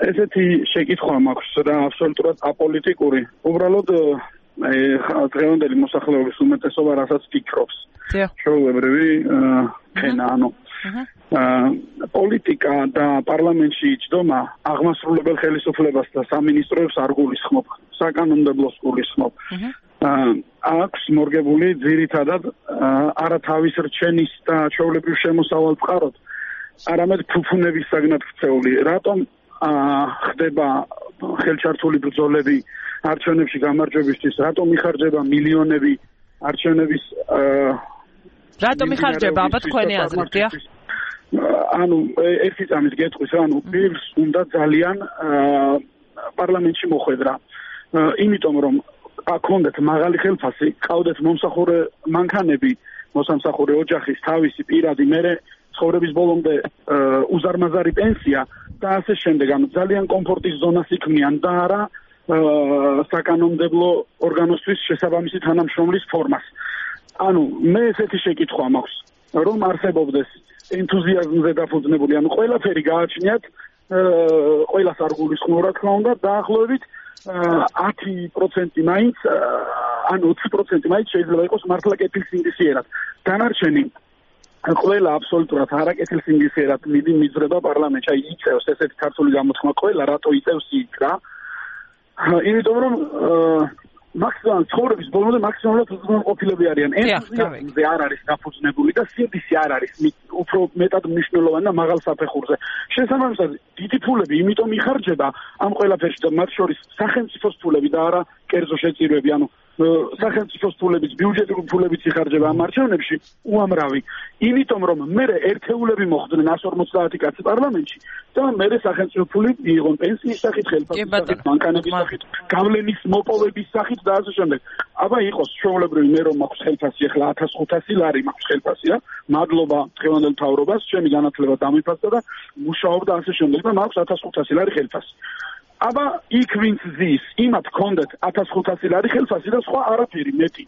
ესეთი შეკითხვა მაქვს და აბსოლუტურად აპოლიტიკური. უბრალოდ დღევანდელი მოსახლეობის უმეტესობა რასაც ფიქრობს. ჩვეულებრივი ფენა, ანუ პოლიტიკა და პარლამენტში იჯდომა აღმასრულებელ ხელისუფლებას და სამინისტროებს არ გულისხმობ, საკანონმდებლოს გულისხმობ. აქვს მორგებული ძირითადად არა თავის რჩენის და ჩვეულებრივ შემოსავალ წყაროდ, არამედ ფუფუნების საგნად ქცეული. რატომ ხდება ხელჩართული ბრძოლები არჩევნებში გამარჯვებისთვის, რატომ იხარჯება მილიონები არჩევნების რატომ იხარჯება აბა თქვენი აზრით, დიახ? ანუ ერთი წამის გეტყვის, ანუ პირს უნდა ძალიან პარლამენტში მოხვედრა. იმიტომ რომ აქონდეთ მაღალი ხელფასი, ყავდეთ მომსახურე მანქანები, მოსამსახურე ოჯახის თავისი პირადი, მერე ცხოვრების ბოლომდე უზარმაზარი პენსია და ასე შემდეგ. ანუ ძალიან კომფორტის ზონას იქმნიან და არა საკანონმდებლო ორგანოსთვის შესაბამისი თანამშრომლის ფორმას. ანუ მე ესეთი შეკითხვა მაქვს, რომ არსებობდეს ენთუზიაზმზე დაფუძნებული, ანუ ყველაფერი გააჩნიათ, ყველას არ გულისხმობ რა თქმა უნდა, დაახლოებით ათი პროცენტი მაინც, ანუ ოცი პროცენტი მაინც შეიძლება იყოს მართლა კეთილსინდისიერად. დანარჩენი ყველა აბსოლუტურად არაკეთილსინდისიერად მიძრება პარლამენტში. აი იწევს ესეთი ქართული გამოთქმა, ყველა რატო იწევს იქ რა. იმიტომ რომ მაქსიმალ ცხოვრების ბოლომდე მაქსიმალურად უზრუნველყოფილები არიან. ენთუზიაზმზე არ არის დაფუძნებული და სინდისი არ არის უფრო მეტად მნიშვნელოვანი და მაღალ საფეხურზე. შესაბამისად, დიდი ფულები იმიტომ იხარჯება ამ ყველაფერში და მათ შორის სახელმწიფოს ფულები და არა კერძო შეწირვები, ანუ სახელმწიფოს ფულებიც, ბიუჯეტური ფულებიც იხარჯება ამ არჩევნებში უამრავი. იმიტომ რომ მე ერთეულები მოხდნენ ას ორმოცდაათი კაცი პარლამენტში და მე სახელმწიფო ფული მიიღონ პენსიის სახით, ხელფასის სახით, მანქანების სახით, გავლენის მოპოვების სახით და ასე შემდეგ. აბა იყოს ჩვეულებრივი მე რომ მაქვს ხელფასი, ახლა ათას ხუთასი ლარი მაქვს ხელფასი რა. მადლობა დღევანდელ მთავრობას, ჩემი განათლება დამიფასდა და მუშაობ და ასე შემდეგ და მაქვს ათას ხუთასი ლარი ხელფასი. აბა იქ ვინც ზის, იმათ კონდეთ ათას ხუთასი ლარი ხელფასი და სხვა არაფერი მეტი.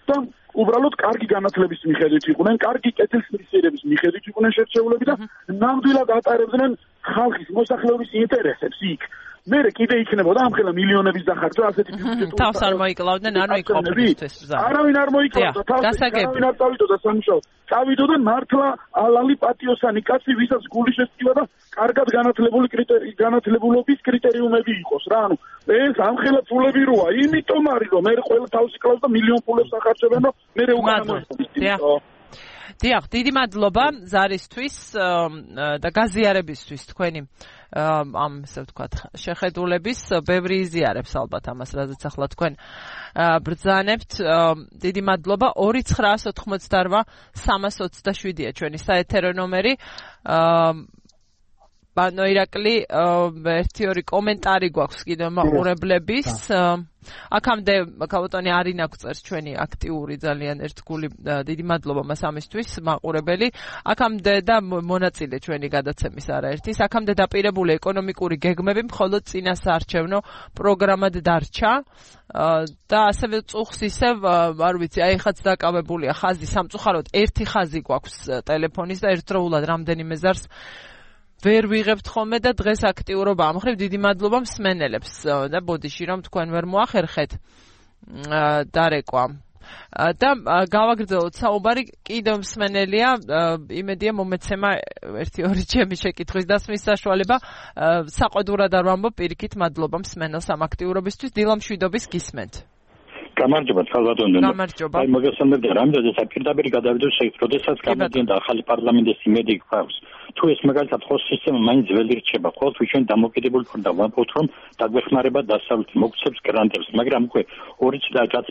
და უბრალოდ კარგი განათლების მიხედვით იყვნენ, კარგი კეთილსინდისიერების მიხედვით იყვნენ შერჩეულები და ნამდვილად ატარებდნენ ხალხის მოსახლეობის ინტერესებს იქ. მერე კიდე იქნებოდა ამხელა მილიონების დახარჯვა ასეთი ბიუჯეტური თავს არ მოიკლავდნენ, ანუ იქ ყოფნისთვის ბრძანა. არავინ არ მოიკლავდა თავს, არავინ არ წავიდოდა სამუშაოდ. წავიდოდა მართლა ალალი პატიოსანი კაცი, ვისაც გული შესწივა და კარგად განათლებული კრიტერიუმი, განათლებულობის კრიტერიუმები იყოს რა. ანუ ეს ამხელა ფულები როა, იმიტომ არის რომ მე ყველა თავს იკლავს და მილიონ ფულებს ახარჯებენ, რომ მე უკანა მოიწოდო. დიახ, დიდი მადლობა ზარისთვის და გაზიარებისთვის თქვენი ამ ესე ვთქვათ შეხედულების, ბევრი იზიარებს ალბათ ამას, რაზეც ახლა თქვენ ბრძანებთ. დიდი მადლობა. ორი ცხრაას ოთხმოცდაორვა სამას ოცდაშვიდია ჩვენი საეთერო ნომერი. ბანო ირაკლი, ერთი ორი კომენტარი გვაქვს კიდევ მაყურებლების. აქამდე ქალბატონი არინა გვწერს ჩვენი აქტიური ძალიან ერთგული, დიდი მადლობა მას ამისთვის მაყურებელი. აქამდე და მონაწილე ჩვენი გადაცემის არაერთის, აქამდე დაპირებული ეკონომიკური გეგმები მხოლოდ წინასაარჩევნო პროგრამად დარჩა და ასევე წუხს ისევ არ ვიცი, აი ხაც დაკავებულია ხაზი სამწუხაროდ ერთი ხაზი გვაქვს ტელეფონის და ერთდროულად რამდენიმე ზარს ვერ ვიღებთ ხოლმე და დღეს აქტიურობა ამ ხრივ. დიდი მადლობა მსმენელებს და ბოდიში რომ თქვენ ვერ მოახერხეთ დარეკვა. და გავაგრძელოთ საუბარი, კიდევ მსმენელია, იმედია მომეცემა ერთი ორი ჩემი შეკითხვის დასმის საშუალება. საყოდურად არ ვამბობ, პირიქით მადლობა მსმენელს ამ აქტიურობისთვის. დილამ შვიდობის გისმენთ. გამარჯობა ხალბატონო. გამარჯობა. აი მაგას ამბობ და რამდენადაც პირდაპირ გადავიდოს, როდესაც გამოდიან და ახალი პარლამენტის იმედი გვაქვს. თუ ეს მაგალითად ხო სისტემა მაინც ველი რჩება, ყოველთვის ჩვენ დამოკიდებული ვართ და ვამბობთ, რომ დაგვეხმარება დასავლეთი მოგცემს გრანტებს, მაგრამ უკვე ორი წელი რაც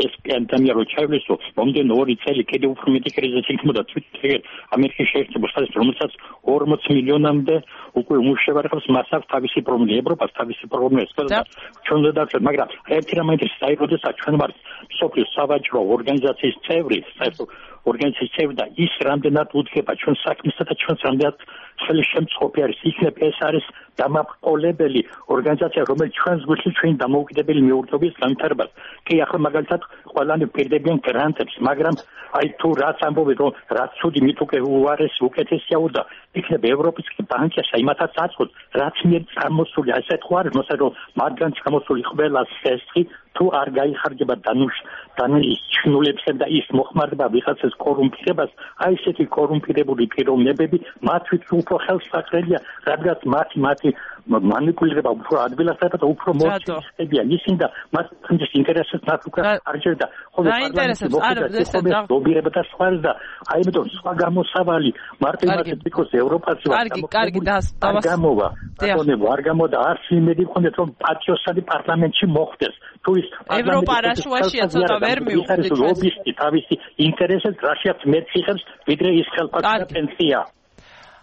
ეს პანდემია რო ჩაივლისო, მომდენო ორი წელი კიდევ უფრო მეტი კრიზისი იქნებოდა თვითონ ამერიკის შეერთებულ შტატებში, რომელსაც ორმოც მილიონამდე უკვე უმუშევარებს მასაკ თავისი პრობლემა, ევროპას თავისი პრობლემა ესწრება. ჩვენ უნდა დავწერთ, მაგრამ ერთი რამ მაინტერესებს, აი როდესაც ჩვენ ვართ სოფლის სავაჭრო ორგანიზაციის წევრი, საერთო ორგანიზაციის წევრი და ის რამდენად უდგება ჩვენ საქმესა და ჩვენს რამდენად ხელშემწყობი არის, იქნებ ეს არის დამაყოლებელი ორგანიზაცია, რომელიც ჩვენს გულში ჩვენი დამოუკიდებელი მეურნეობის განვითარებას. კი, ახლა მაგალითად ყველანი პირდებიან გრანტებს, მაგრამ აი თუ რაც ამბობენ, რომ რაც ცუდი მით უკვე უარეს უკეთესია და იქნებ ევროპის ბანკებსა იმათაც აწყოთ, რაც მიერ წარმოსული, ასეთ ხო არის, მოსა რომ მათგან წარმოსული ყველა სესტი თუ არ გაიხარჯება დანუშ დანიშნულებსა და ის მოხმარდება ვიღაცას კორუმპირებას, აი ესეთი კორუმპირებული პიროვნებები მათთვის უფრო ხელსაყრელია, რადგან მათი მათი манипулировать უფრო ადგილასთან და უფრო მოწესებია ისინი და მათთვის ინტერესებს მათ უკვე არ ჯერდა ხოლმე პარლამენტში მოხდა ლობირება და სხვა და აი ამიტომ სხვა გამოსავალი მარტო იმათი because ევროპაში ვარ კარგი კარგი დავას გამოვა ბატონებო არ გამოდა არც იმედი მქონდეთ რომ პატიოსანი პარლამენტში მოხდეს თუ ის ევროპა რა შუაშია ცოტა ვერ მივხვდით ლობისტი თავისი ინტერესებს რაშიაც მეტ იხებს ვიდრე ის ხელფასი და პენსია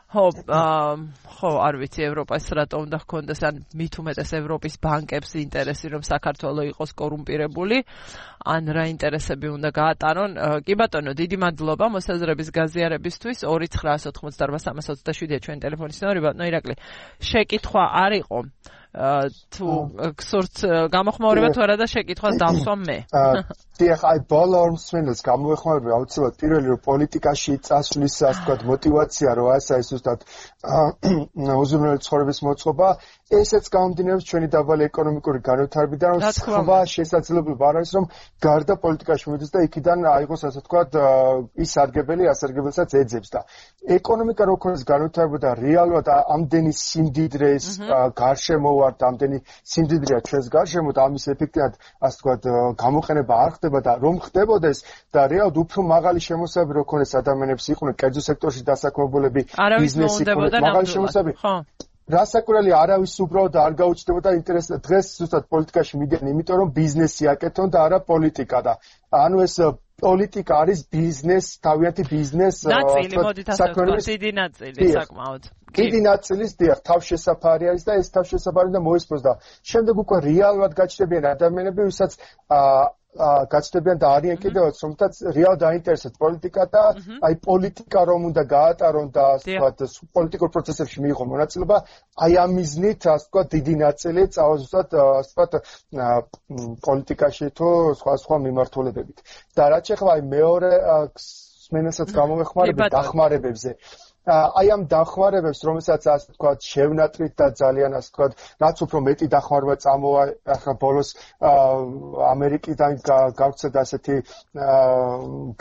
ხო, ხო, არ ვიცი ევროპას რატომ უნდა ჰქონდეს ან მით უმეტეს ევროპის ბანკებს ინტერესი რომ საქართველო იყოს კორუმპირებული, ან რა ინტერესები უნდა გაატარონ. კი ბატონო, დიდი მადლობა მოსაზრების გაზიარებისთვის. ორი ცხრა ოთხმოცდაოთხ სამას ოცდაშვიდია ჩვენი ტელეფონის ნომერი. ბატონო ირაკლი, შეკითხვა არ იყო თუ გსურთ გამოხმაურება თუ არა და შეკითხვას დავსვამ მე. დიახ, აი ბოლო ორ მსმენელს გამოეხმაურება აუცილებლად პირველი რომ პოლიტიკაში წასვლის ასე ვთქვათ мотиваცია რო ასე ის უბრალოდ უზრუნველი ცხოვრების მოწყობა, ესეც გამომდინარეობს ჩვენი დაბალი ეკონომიკური განვითარებიდან, რომ სხვა შესაძლებლობა არ არის რომ გარდა პოლიტიკაში მივიდეს და იქიდან აიღოს ასე ვთქვათ ის სარგებელი, ასარგებელსაც ეძებს და ეკონომიკა რო ქონდეს განვითარება და რეალურად ამდენი სიმდიდრეს გარშემო ვართ, ამდენი სიმდიდრეა ჩვენს გარშემო და ამის ეფექტად ასე ვთქვათ გამოყენება არ ხდება და რომ ხდებოდეს და რეალურად უფრო მაღალი შემოსავები რო ქონდეს ადამიანებს იყვნენ კერძო სექტორში დასაქმებულები ბიზნესი ქონდეს მაღალი შემოსავები რასაკვირველია არავის უბრალოდ არ გაუჩნდებოდა ინტერესი დღეს ზუსტად პოლიტიკაში მიდიან იმიტომ რომ ბიზნესი აკეთონ და არა პოლიტიკა და ანუ ეს პოლიტიკა არის ბიზნეს თავიანთი ბიზნეს ნაწილი მოდით ასე ვთქვათ დიდი ნაწილი საკმაოდ დიდი ნაწილის დიახ თავშესაფარი არის და ეს თავშესაფარი და მოისპოს და შემდეგ უკვე რეალურად გაჩნდებიან ადამიანები ვისაც გაჩნდებიან და არიან კიდევაც რომელთაც რეალურად აინტერესებს პოლიტიკა და აი პოლიტიკა რომ უნდა გაატარონ და ასე ვთქვათ პოლიტიკურ პროცესებში მიიღონ მონაწილეობა აი ამ მიზნით ასე ვთქვათ დიდი ნაწილი წავა ზუსტად ასე ვთქვათ პოლიტიკაში თუ სხვა სხვა მიმართულებებით და რაც ახლა აი მეორე მსმენელსაც გამოვეხმარებით დახმარებებზე აი ამ დახმარებებს რომელსაც ასე ვთქვათ შევნატრით და ძალიან ასე ვთქვათ რაც უფრო მეტი დახმარება წამოვა ახლა ბოლოს ამერიკიდან გავრცელდა ასეთი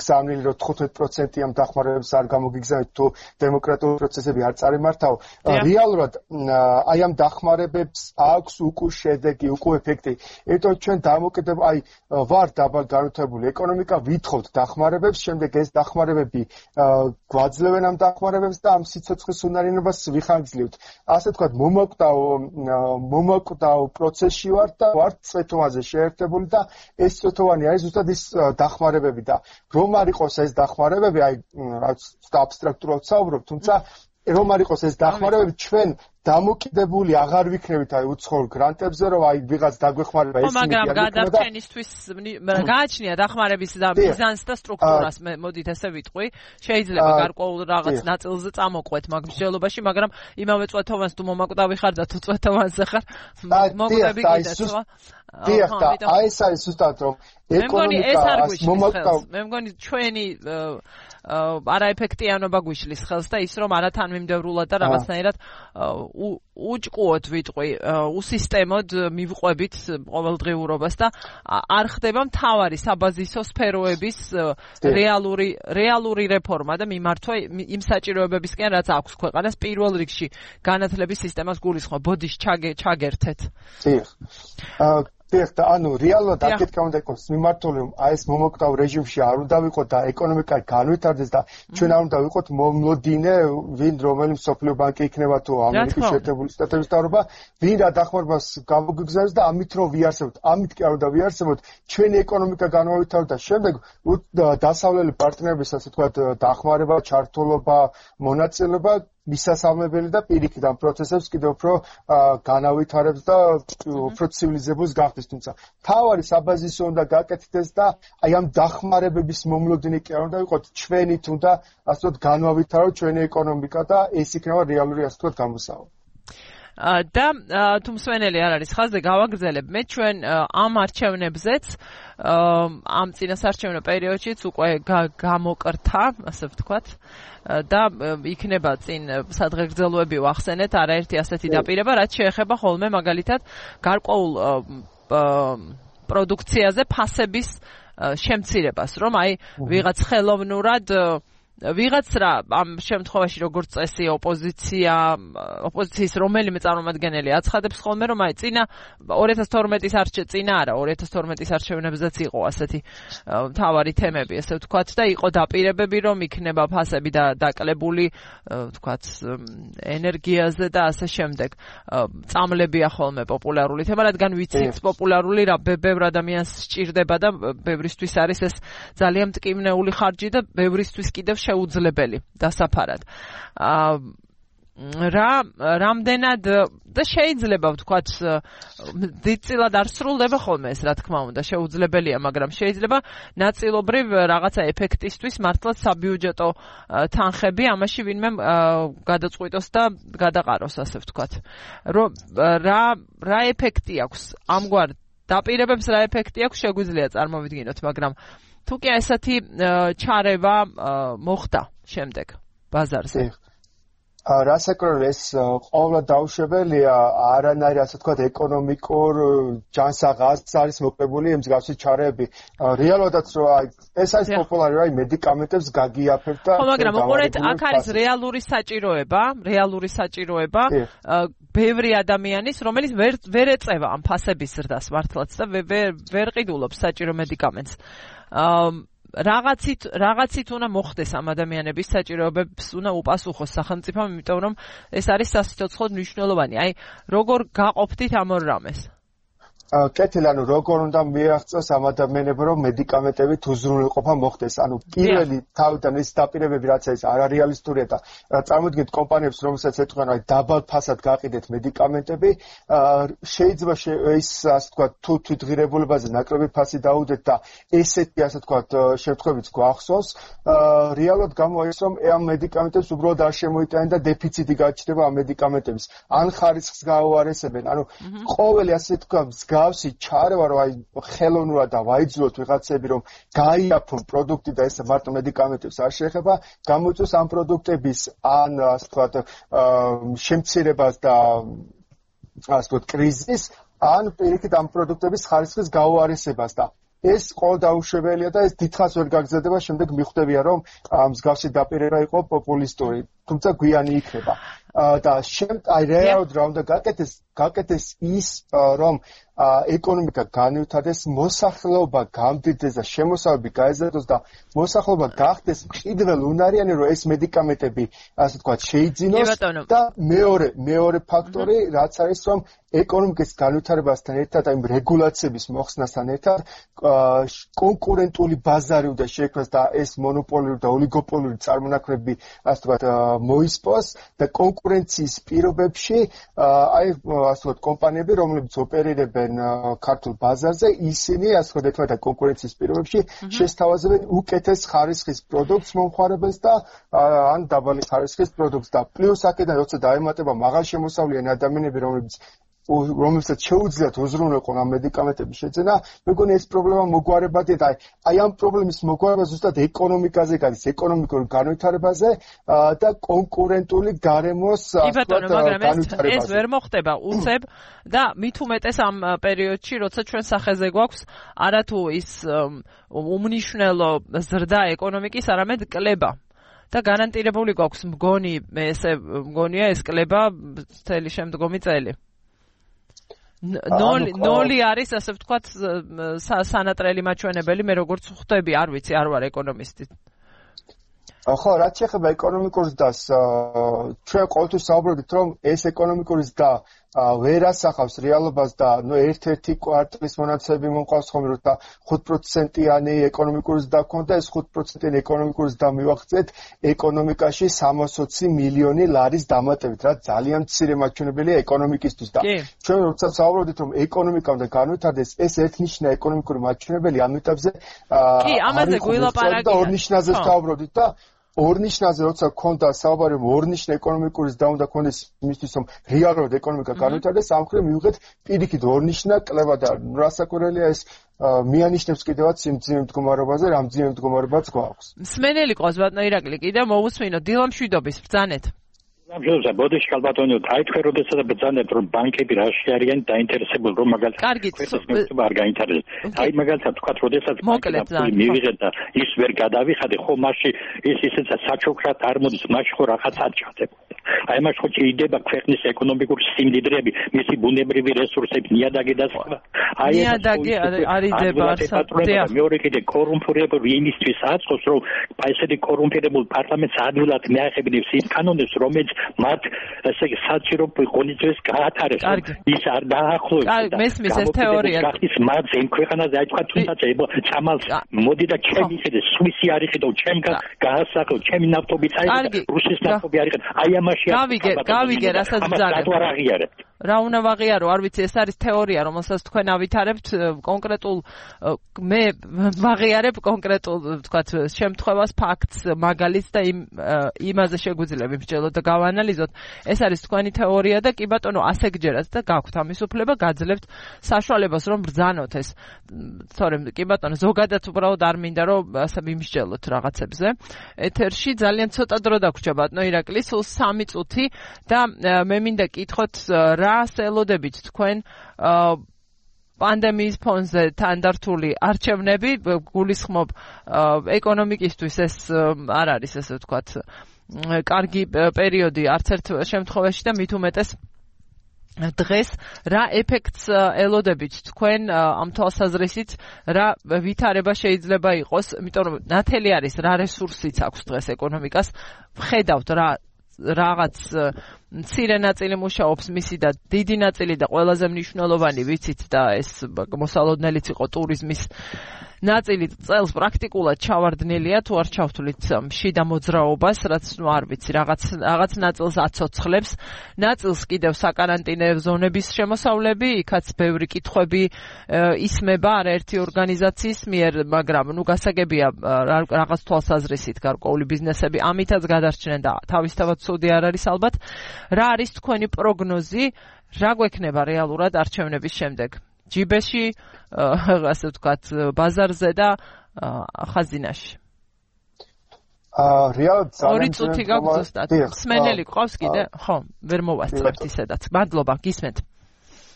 გზავნილი რომ თხუთმეტ პროცენტი ამ დახმარებებს არ გამოგიგზავნით თუ დემოკრატიული პროცესები არ წარიმართავ რეალურად აი ამ დახმარებებს აქვს უკვე შედეგი უკვე ეფექტი ერთო ჩვენ დამოკიდებ აი ვარ დაბალ განვითარებული ეკონომიკა ვითხოვთ დახმარებებს შემდეგ ეს დახმარებები გვაძლევენ ამ დახმარებებს და ამ სიცოცხლის უნარიანობას ვიხანგრძლივთ. ასე ვთქვათ, მომაკვდავ მომაკვდავ პროცესში ვართ და ვართ წვეთოვანზე შეერთებული და ეს წვეთოვანი არის ზუსტად ის დახმარებები და რომ არ იყოს ეს დახმარებები, აი რაც აბსტრაქტულად ვსაუბრობ, თუმცა რომ არ იყოს ეს დახმარებები ჩვენ დამოკიდებული აღარ ვიქნებით აი უცხოურ გრანტებზე რომ აი ვიღაც დაგვეხმარება ეს იმედი მაგრამ გადაფრენისთვის გააჩნია დახმარების და ბიზნეს და სტრუქტურას მოდით ესე ვიტყვი შეიძლება გარკვეულ რაღაც ნაწილზე წამოყვეთ მაგ მსჯელობაში მაგრამ იმავე წვეთოვანს თუ მომაკვდავი ხარ და თუ წვეთოვანზე ხარ მოგვდები კიდეც ხო დიახ და აი ეს არის ზუსტად რომ ეკონომიკას მომაკვდავ მე მგონი ჩვენი არაეფექტიანობა გვიშლის ხელს და ის რომ არათანმიმდევრულად და რაღაცნაირად უჭყუოთ ვიტყვი უსისტემოდ მივყვებით ყოველდღიურობას და არ ხდება მთავარი საბაზისო სფეროების რეალური რეალური რეფორმა და მიმართვა იმ საჭიროებებისკენ რაც აქვს ქვეყანას პირველ რიგში განათლების სისტემას გულისხმობ ბოდიშ ჩაგერთეთ დიახ დიახ, ანუ რეალურად აქეთ უნდა იყოს მიმართული, რომ აი ეს მომოკვდავ რეჟიმში არ უნდა ვიყოთ და ეკონომიკა განვითარდეს და ჩვენ არ უნდა ვიყოთ მომლოდინე, ვინ რომელი მსოფლიო ბანკი იქნება თუ ამერიკის შეერთებული შტატების მთავრობა, ვინ რა დახმარებას გამოგვიგზავნოს და ამით რომ ვიარსებოთ, ამით კი არ უნდა ვიარსებოთ, ჩვენი ეკონომიკა განვითარდეს და შემდეგ დასავლელი პარტნიორების ასე ვთქვათ დახმარება, ჩართულობა, მონაწილეობა მისასალმებელი და პირიქით ამ პროცესებს კიდევ უფრო განავითარებს და უფრო ცივილიზებულს გახდეს, თუმცა თავარი საბაზისო უნდა გაკეთდეს და აი ამ დახმარებების მომლოდინი კი არ უნდა ვიყოთ, ჩვენი თუნდა ასე ვთქვათ განავითაროთ ჩვენი ეკონომიკა და ეს იქნება რეალური ასე ვთქვათ გამოსავალი. და თუ მსვენელი არ არის ხაზზე გავაგრძელებ მე ჩვენ ამ არჩევნებზეც ამ წინასარჩევნო პერიოდშიც უკვე გამოკრთა ასე ვთქვათ და იქნება წინ სადღეგრძელოები ვახსენეთ არაერთი ასეთი დაპირება რაც შეეხება ხოლმე მაგალითად გარკვეულ პროდუქციაზე ფასების შემცირებას რომ აი ვიღაც ხელოვნურად ვიღაც რა ამ შემთხვევაში როგორც წესი ოპოზიცია ოპოზიციის რომელიმე წარმომადგენელი აცხადებს ხოლმე რომ აი წინა ორი ათას თორმეტის არჩე წინა არა ორი ათას თორმეტის არჩევნებზეც იყო ასეთი მთავარი თემები ასე ვთქვათ და იყო დაპირებები რომ იქნება ფასები და დაკლებული ვთქვათ ენერგიაზე და ასე შემდეგ წამლებია ხოლმე პოპულარული თემა რადგან ვიცით პოპულარული რა ბევრ ადამიანს სჭირდება და ბევრისთვის არის ეს ძალიან მტკივნეული ხარჯი და ბევრისთვის კიდევ შეუძლებელი დასაფარად. რა რამდენად და შეიძლება ვთქვათ დიდწილად არ სრულდება ხოლმე ეს რა თქმა უნდა შეუძლებელია მაგრამ შეიძლება ნაწილობრივ რაღაცა ეფექტისთვის მართლაც საბიუჯეტო თანხები ამაში ვინმე გადაწყვიტოს და გადაყაროს ასე ვთქვათ. რომ რა რა ეფექტი აქვს ამგვარ დაპირებებს რა ეფექტი აქვს შეგვიძლია წარმოვიდგინოთ მაგრამ თუ კი ესეთი ჩარევა მოხდა შემდეგ ბაზარზე. რასაკროლ ეს ყოველ დაუშვებელია არანაირი ასე ვთქვათ ეკონომიკურ ჯანსაღას არის მოკლებული იმ მსგავსი ჩარეები. რეალოდაც რომ აი ეს არის პოპულარი რა მედიკამენტებს გაგიაფებთ და ხო მაგრამ უყურეთ აქ არის რეალური საჭიროება, რეალური საჭიროება ბევრი ადამიანის რომელიც ვერ ვერ ეწევა ამ ფასების ზრდას მართლაც და ვერ ყიდულობს საჭირო მედიკამენტს. რაღაცით რაღაცით უნდა მოხდეს ამ ადამიანების საჭიროებებს უნდა უპასუხოს სახელმწიფომ იმიტომ რომ ეს არის სასიცოცხლოდ მნიშვნელოვანი. აი როგორ გაყოფდით ამ ორ რამეს? კეთილ ანუ როგორ უნდა მიაღწიოს ამ ადამიანებს რომ მედიკამენტებით უზრუნველყოფა მოხდეს. ანუ პირველი თავიდან ეს დაპირებები რაც არის არარეალისტურია და წარმოიდგინეთ კომპანიებს რომელსაც ეთქვენ აი დაბალ ფასად გაყიდეთ მედიკამენტები შეიძლება ის ასე ვთქვათ თუ თვითღირებულებაზე ნაკლები ფასი დაუდეთ და ესეთი ასე ვთქვათ შემთხვევით გვახსოვს რეალურად გამოაჩნდეს რომ ამ მედიკამენტებს უბრალოდ არ შემოიტანენ და დეფიციტი გაჩნდება ამ მედიკამენტების ან ხარისხს გაუარესებენ. ანუ ყოველი ასე ვთქვათ გავსი ჩარევა რომ აი ხელოვნურად და ვაიძულოთ ვიღაცები რომ გაიაფონ პროდუქტი და ეს მარტო მედიკამენტებს არ შეეხება გამოიწვევს ამ პროდუქტების ან ასე ვთქვათ შემცირებას და ასე ვთქვათ კრიზისს ან პირიქით ამ პროდუქტების ხარისხის გაუარესებას და ეს ყოველ დაუშვებელია და ეს დიდხანს ვერ გაგრძელდება შემდეგ მიხვდებიან რომ მსგავსი დაპირება იყო პოპულისტური თუმცა გვიანი იქნება და შემ აი რეალურად რა უნდა გაკეთდეს გაკეთდეს ის რომ ეკონომიკა განვითარდეს, მოსახლეობა გამდიდრდეს და შემოსავები გაეზარდოს და მოსახლეობა გახდეს მყიდველ უნარიანი, რომ ეს მედიკამენტები, ასე ვთქვათ, შეიძინოს და მეორე მეორე ფაქტორი, რაც არის, რომ ეკონომიკის განვითარებასთან ერთად, აი რეგულაციების მოხსნასთან ერთად, კონკურენტული ბაზარი უნდა შექმნას და ეს მონოპოლიური და ოლიგოპოლიური წარმონაქმნები, ასე ვთქვათ, მოისპოს და კონკურენციის პირობებში, აი ასე ვთქვათ, კომპანიები, რომლებიც ოპერირებენ ქართულ ბაზარზე ისინი ასე ვთქვათ და კონკურენციის პირობებში შესთავაზებენ უკეთეს ხარისხის პროდუქტს მომხმარებელს და ან დაბალი ხარისხის პროდუქტს და პლუს აქედან როცა დაემატება მაღალშემოსავლიანი ადამიანები რომლებიც რომელსაც შეუძლიათ უზრუნველყონ ამ მედიკამენტების შეძენა, მეგონი ეს პრობლემა მოგვარებადია და აი ამ პრობლემის მოგვარება ზუსტად ეკონომიკაზე გადის, ეკონომიკურ განვითარებაზე და კონკურენტული გარემოს განვითარებაზე. ეს ვერ მოხდება უცებ და მით უმეტეს ამ პერიოდში, როცა ჩვენ სახეზე გვაქვს არათუ ის უმნიშვნელო ზრდა ეკონომიკის, არამედ კლება. და გარანტირებული გვაქვს მგონი, ესე მგონია ეს კლება მთელი შემდგომი წელი. ნოლი არის, ასე ვთქვათ, სანატრელი მაჩვენებელი, მე როგორც ხვდები, არ ვიცი, არ ვარ ეკონომისტი. ხო, რაც შეეხება ეკონომიკურ ზრდას, ჩვენ ყოველთვის საუბრობთ, რომ ეს ეკონომიკური ზრდა ვერ ასახავს რეალობას და ნუ ერთ-ერთი კვარტალის მონაცემები მომყავს ხომ რომ და ხუთ პროცენტიანი ეკონომიკური ზრდა ქონდა, ეს ხუთ პროცენტიანი ეკონომიკური ზრდა მივახცეთ ეკონომიკაში სამას ოცი მილიონი ლარის დამატებით, რაც ძალიან მცირე მაჩვენებელია ეკონომიკისთვის და ჩვენ როცა საუბრობთ, რომ ეკონომიკა უნდა განვითარდეს, ეს ერთნიშნა ეკონომიკური მაჩვენებელი ამ ეტაპზე კი, ამაზე გვილაპარაკია და ორნიშნაზე საუბრობთ და ორნიშნაზე როცა ქონდა საუბარი, რომ ორნიშნა ეკონომიკური ზრდა უნდა ქონდეს იმისთვის, რომ რეალურად ეკონომიკა განვითარდეს, ამ მხრივ მივიღეთ პირიქით ორნიშნა კლება და რასაკვირველია ეს მიანიშნებს კიდევაც იმ ძიმე მდგომარეობაზე, რამ ძიმე მდგომარეობაც გვაქვს. მსმენელი ყავს ბატონო ირაკლი, კიდევ მოусმინო დილამშვიდობის ბრძანეთ. ამჟამად ბოდიში ალბათონიო აი თქვენ როდესაც ბრძანებთ რომ ბანკები რაში არიან დაინტერესებული რომ მაგალითად კარგით არ გაინტერესებს აი მაგალითად თქვა როდესაც ბანკები მივიღეთ და ის ვერ გადავიხადე ხო მასში ის ისეც საჩუქრად არ მოდის მასში ხო რაღაც აჭადებოდა აი მას ხო ჭირდება ქვეყნის ეკონომიკური სიმდიდრეები მისი ბუნებრივი რესურსები ნიადაგი და სხვა აი ნიადაგი არიდება არსად მეორე კიდე კორუმპირებული იმისთვის აწყობს რომ აი ესეთი კორუმპირებული პარლამენტს ადვილად მიახებინებს იმ კანონებს რომელიც მათ ესე იგი საჭირო კონდიციებს გაათარებს ის არ დაახლოებს და მესმის ეს თეორია გახდის მათ იმ ქვეყანაზე აი თქვა თუნდაც წამალ მოდი და ჩემი ხედე სვისი არ იყიდო ჩემ გაასახო ჩემი ნავთობი წაიღე რუსეთის ნავთობი არ იყიდო აი ამაში გავიგე გავიგე რასაც ბრძანებთ რა უნდა ვაღიარო, არ ვიცი, ეს არის თეორია, რომელსაც თქვენ ავითარებთ კონკრეტულ მე ვაღიარებ კონკრეტულ, ვთქვათ, შემთხვევას, ფაქტს, მაგალითს და იმ იმაზე შეგვიძლია ვიმსჯელოთ და გავანალიზოთ. ეს არის თქვენი თეორია და კი ბატონო, ასე გჯერათ და გაქვთ ამის უფლება, გაძლევთ საშუალებას რომ ბრძანოთ ეს. თორემ კი ბატონო, ზოგადად უბრალოდ არ მინდა რომ ასე ვიმსჯელოთ რაღაცებზე. ეთერში ძალიან ცოტა დრო დაგვრჩა ბატონო ირაკლი, სულ სამი წუთი და მე მინდა კითხოთ რას ელოდებით თქვენ პანდემიის ფონზე თანდართული არჩევნები გულისხმობ ეკონომიკისთვის ეს არ არის ესე ვთქვათ კარგი პერიოდი არც ერთ შემთხვევაში და მით უმეტეს დღეს რა ეფექტს ელოდებით თქვენ ამ თვალსაზრისით რა ვითარება შეიძლება იყოს იმიტომ რომ ნათელი არის რა რესურსიც აქვს დღეს ეკონომიკას ვხედავთ რა რაღაც მცირე ნაწილი მუშაობს მისი და დიდი ნაწილი და ყველაზე მნიშვნელოვანი ვიცით და ეს მოსალოდნელიც იყო ტურიზმის ნაწილი წელს პრაქტიკულად ჩავარდნილია თუ არ ჩავთვლით შიდა მოძრაობას რაც ნუ არ ვიცი რაღაც რაღაც ნაწილს აცოცხლებს ნაწილს კიდევ საკარანტინე ზონების შემოსავლები იქაც ბევრი კითხვები ისმება არაერთი ორგანიზაციის მიერ მაგრამ ნუ გასაგებია რაღაც თვალსაზრისით გარკვეული ბიზნესები ამითაც გადარჩნენ და თავისთავად ცუდი არ არის ალბათ რა არის თქვენი პროგნოზი რა გვექნება რეალურად არჩევნების შემდეგ ჯიბეში ასე ვთქვათ ბაზარზე და ხაზინაში აა რეალურად ორი წუთი გაქვს ზუსტად მსმენელი ყავს კიდე ხო ვერ მოვასწრებთ ისედაც მადლობა გისმენთ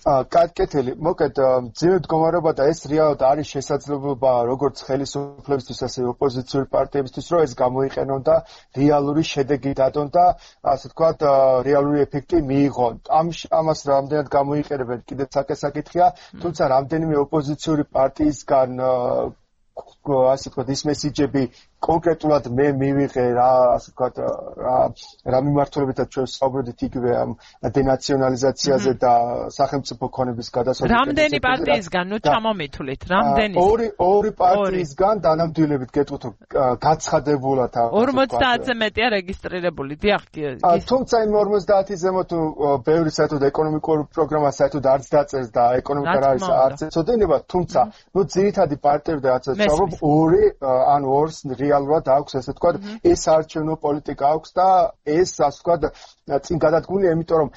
კეთილი, მოკეთ ძიმე მდგომარეობა და ეს რეალურად არის შესაძლებლობა როგორც ხელისუფლებისთვის, ასევე ოპოზიციური პარტიებისთვის, რომ ეს გამოიყენონ და რეალური შედეგი დადონ და ასე ვთქვათ, რეალური ეფექტი მიიღონ. ამ ამას რამდენად გამოიყენებენ, კიდევ საკითხია, თუმცა რამდენიმე ოპოზიციური პარტიისგან ასე ვთქვათ, ის მესიჯები კონკრეტულად მე მივიღე რა ასე ვთქვათ რა რა მიმართულებითაც ჩვენ საუბრობთ იგივე ამ დენაციონალიზაციაზე და სახელმწიფო ქონების გადასაზრდელზე. რამდენი პარტიისგან ნუ ჩამომითვლით, რამდენი? ორი ორი პარტიისგან დანამდვილებით გეტყვით გაცხადებულად ორმოცდაათზე მეტია რეგისტრირებული. დიახ, თუმცა იმ ორმოცდაათი ზემოთ ბევრი საერთოდ ეკონომიკური პროგრამა საერთოდ არც დაწერს და ეკონომიკა არის არც ეცოდინება, თუმცა ნუ ძირითადი პარტიები და რაც საუბრობ ორი ან ორს რეალურად აქვს ესე ვთქვათ ეს არჩევნო პოლიტიკა აქვს და ეს ასე ვთქვათ წინ გადადგმულია იმიტომ რომ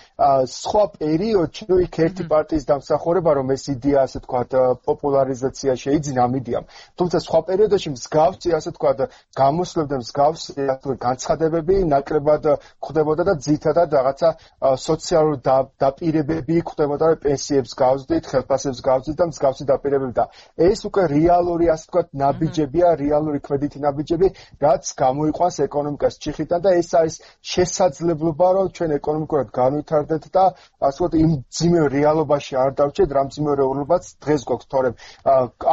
სხვა პერიოდში იქ ერთი პარტიის დამსახურება რომ ეს იდეა ასე ვთქვათ პოპულარიზაცია შეიძინა ამ იდეამ თუმცა სხვა პერიოდში მსგავსი ასე ვთქვათ გამოსვლებდა მსგავსი განცხადებები ნაკლებად ხდებოდა და ძირითადად რაღაცა სოციალური დაპირებები ხდებოდა პენსიებს გავზდით ხელფასებს გავზდით და მსგავსი დაპირებები და ეს უკვე რეალური ასე ვთქვათ ნაბიჯებია, რეალური კვედითი ნაბიჯები, რაც გამოიყვანს ეკონომიკას ჩიხიდან და ეს არის შესაძლებლობა, რომ ჩვენ ეკონომიკურად განვითარდეთ და ასე ვთქვათ, იმ ძიმეო რეალობაში არ დავჭერთ, რამ ძიმეო რეალობაც დღეს გვაქვს, თორემ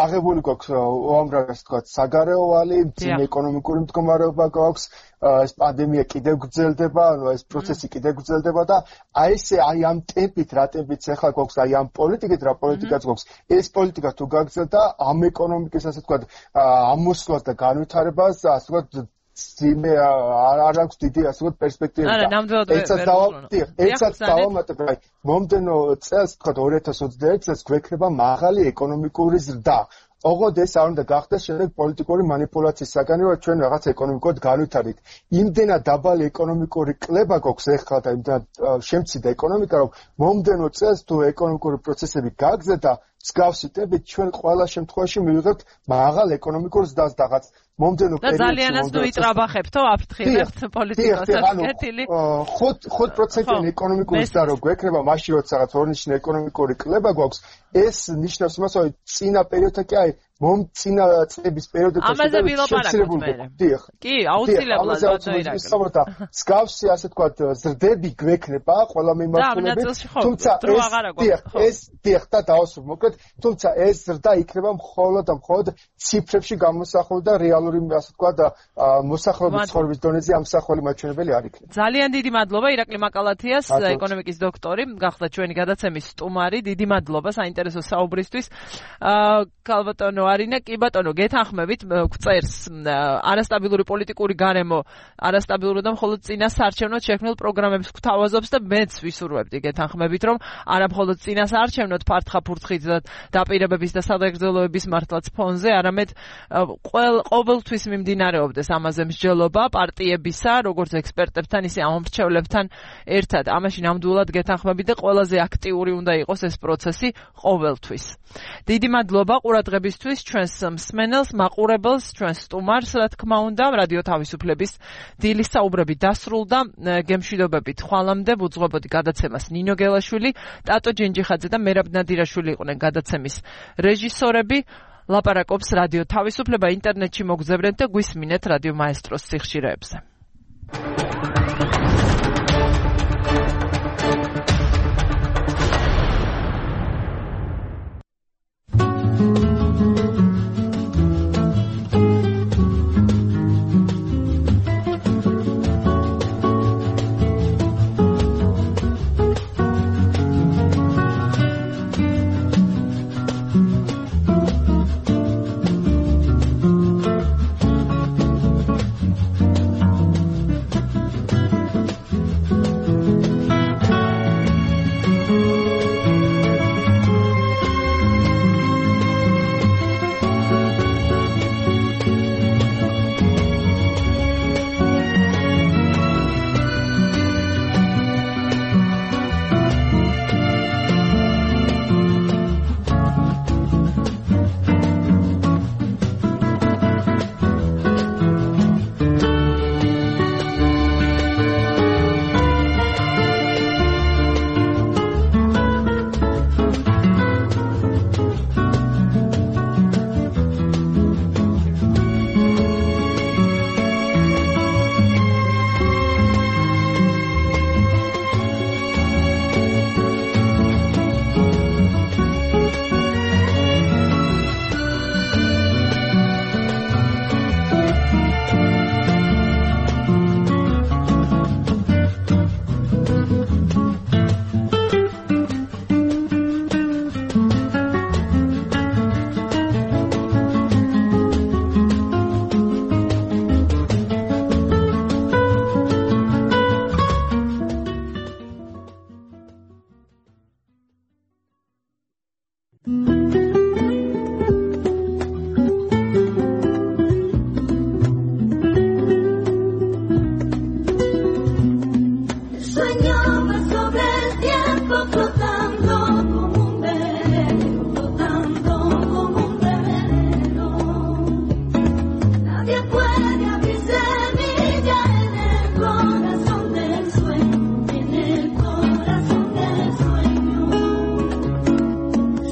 აღებული გვაქვს უამრავი ასე ვთქვათ, საგარეო ვალი, ძიმე ეკონომიკური მდგომარეობა გვაქვს, ეს პანდემია კიდევ გრძელდება, ანუ ეს პროცესი კიდევ გრძელდება და აი ესე აი ამ ტემპით, რა ტემპით ახლა გვაქვს, აი ამ პოლიტიკით, რა პოლიტიკაც გვაქვს, ეს პოლიტიკა თუ გაგრძელდა, ამ ეკონომიკის ასე ვთქვათ, ამოსვლას და განვითარებას, ასე ვთქვათ, ძიმე არ აქვს დიდი ასე ვთქვათ პერსპექტივა. არა, ნამდვილად ვერ ვერა. ერთსაც დავამატებ, აი მომდენო წელს, ვთქვათ ორი ათას ოცდაერთი წელს გვექნება მაღალი ეკონომიკური ზრდა. ოღონდ ეს არ უნდა გახდეს შემდეგ პოლიტიკური манипуляციის საგანი, რომ ჩვენ რაღაც ეკონომიკურად განვითარდით. იმდენად დაბალი ეკონომიკური კლება გვაქვს ახლა და იმდენად შემცირდა ეკონომიკა, რომ მომდენო წელს თუ ეკონომიკური პროცესები გაგრძელდა, მსგავსი ტემპით ჩვენ ყველა შემთხვევაში მივიღებთ მაღალ ეკონომიკურ ზრდას და რაღაც მომდენო პერიოდში. და ძალიანაც ნუ იტრაბახებთო აფრთხილებთ პოლიტიკოსებს კეთილი. ხუთ პროცენტიანი ეკონომიკური ზრდა რო გვექნება, მაშინ როცა რაღაც ორნიშნე ეკონომიკური კლება გვაქვს, ეს ნიშნავს იმას, რომ წინა პერიოდთან კი აი მომწინა წლების პერიოდებში ამაზე ვილაპარაკოთ მე. კი, აუცილებლად ბატონო. მსგავსი ასე ვთქვათ ზრდები გვექნება ყველა მიმართულებით, თუმცა ეს დიახ და დავასრულებ მოკლედ, თუმცა ეს ზრდა იქნება მხოლოდ და მხოლოდ ციფრებში გამოსახული და რეალური ასე ვთქვათ მოსახლეობის ცხოვრების დონეზე ამსახველი მაჩვენებელი არ იქნება. ძალიან დიდი მადლობა ირაკლი მაკალათიას, ეკონომიკის დოქტორი, გახდა ჩვენი გადაცემის სტუმარი. დიდი მადლობა საინტერესო საუბრისთვის. ქალბატონო არინა, კი ბატონო, გეთანხმებით, გვწერს არასტაბილური პოლიტიკური გარემო, არასტაბილური და მხოლოდ წინა საარჩევნოდ შექმნილ პროგრამებს გვთავაზობს და მეც ვისურვებდი გეთანხმებით, რომ არა მხოლოდ წინა საარჩევნოდ ფართხა-ფურთხით და დაპირებების და სადაგრძელოების მართლაც ფონზე, არამედ ყოველთვის მიმდინარეობდეს ამაზე მსჯელობა პარტიებისა, როგორც ექსპერტებთან, ისე ამომრჩევლებთან ერთად. ამაში ნამდვილად გეთანხმებით და ყველაზე აქტიური უნდა იყოს ეს პროცესი ყოველთვის. დიდი მადლობა ყურადღებისთვის, ჩვენს მსმენელს, მაყურებელს, ჩვენს სტუმარს, რა თქმა უნდა, რადიო თავისუფლების დილის საუბრები დასრულდა. გემშვიდობებით ხვალამდე ვუძღვებოდი გადაცემას ნინო გელაშვილი, ტატო ჯენჯიხაძე და მერაბ ნადირაშვილი იყვნენ გადაცემის რეჟისორები. ლაპარაკობს რადიო თავისუფლება, ინტერნეტში მოგზაურეთ და გვისმინეთ რადიო მაესტროს სიხშირეებზე.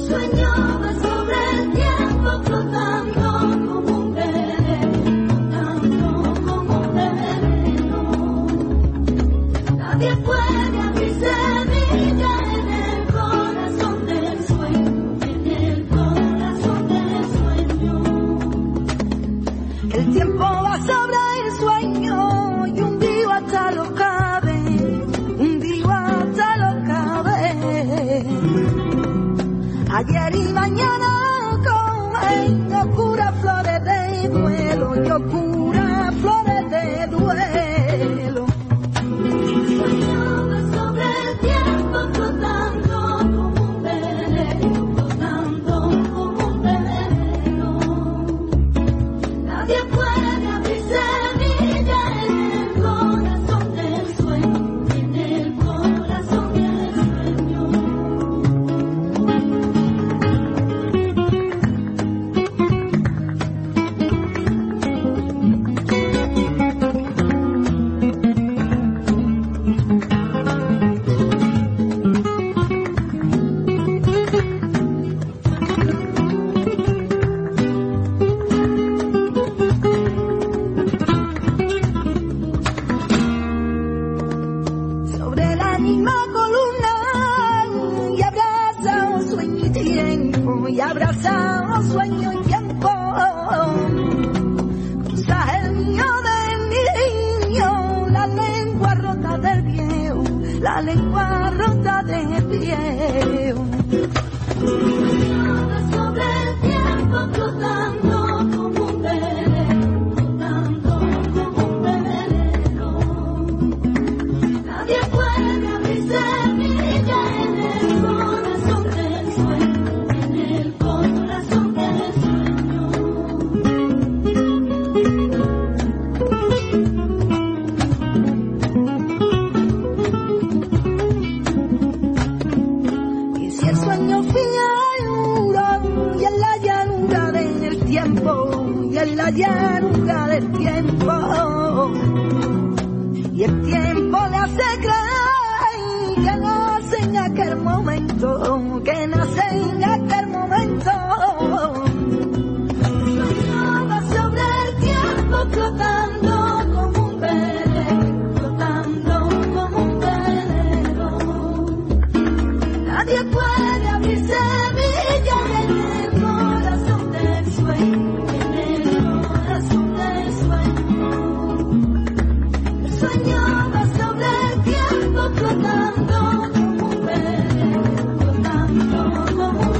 Soñaba sobre el tiempo flotando como que el tiempo va sobre el sueño y un día hasta lo cabe, un día hasta lo cabe. Ayer y mañana comen locura flores de duelo, locura flores de duelo. Soñaba sobre el tiempo flotando como un velero, flotando como un velero. Nadie puede abrir semilla en el corazón del sueño, en el corazón del sueño. Sobre la misma columna y abraza un sueño y tiempo, y abraza un sueño y tiempo. Cruza el niño del niño, la lengua rota del viejo, la lengua rota del viejo. Sobre el tiempo flotando como un velero, flotando como un velero. Nadie puede abrir semilla en el corazón del sueño, en el corazón del sueño. Y si el sueño finura y en la llanura del tiempo, y en la llanura del tiempo, y el tiempo le hace creer que nace en aquel momento, que nace en aquel momento. Soñaba sobre el tiempo flotando como un velero, flotando como un velero. Nadie puede abrir semilla en el corazón del sueño, en el corazón del sueño. Soñaba sobre el tiempo flotando como un velero, flotando como un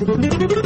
Thank you.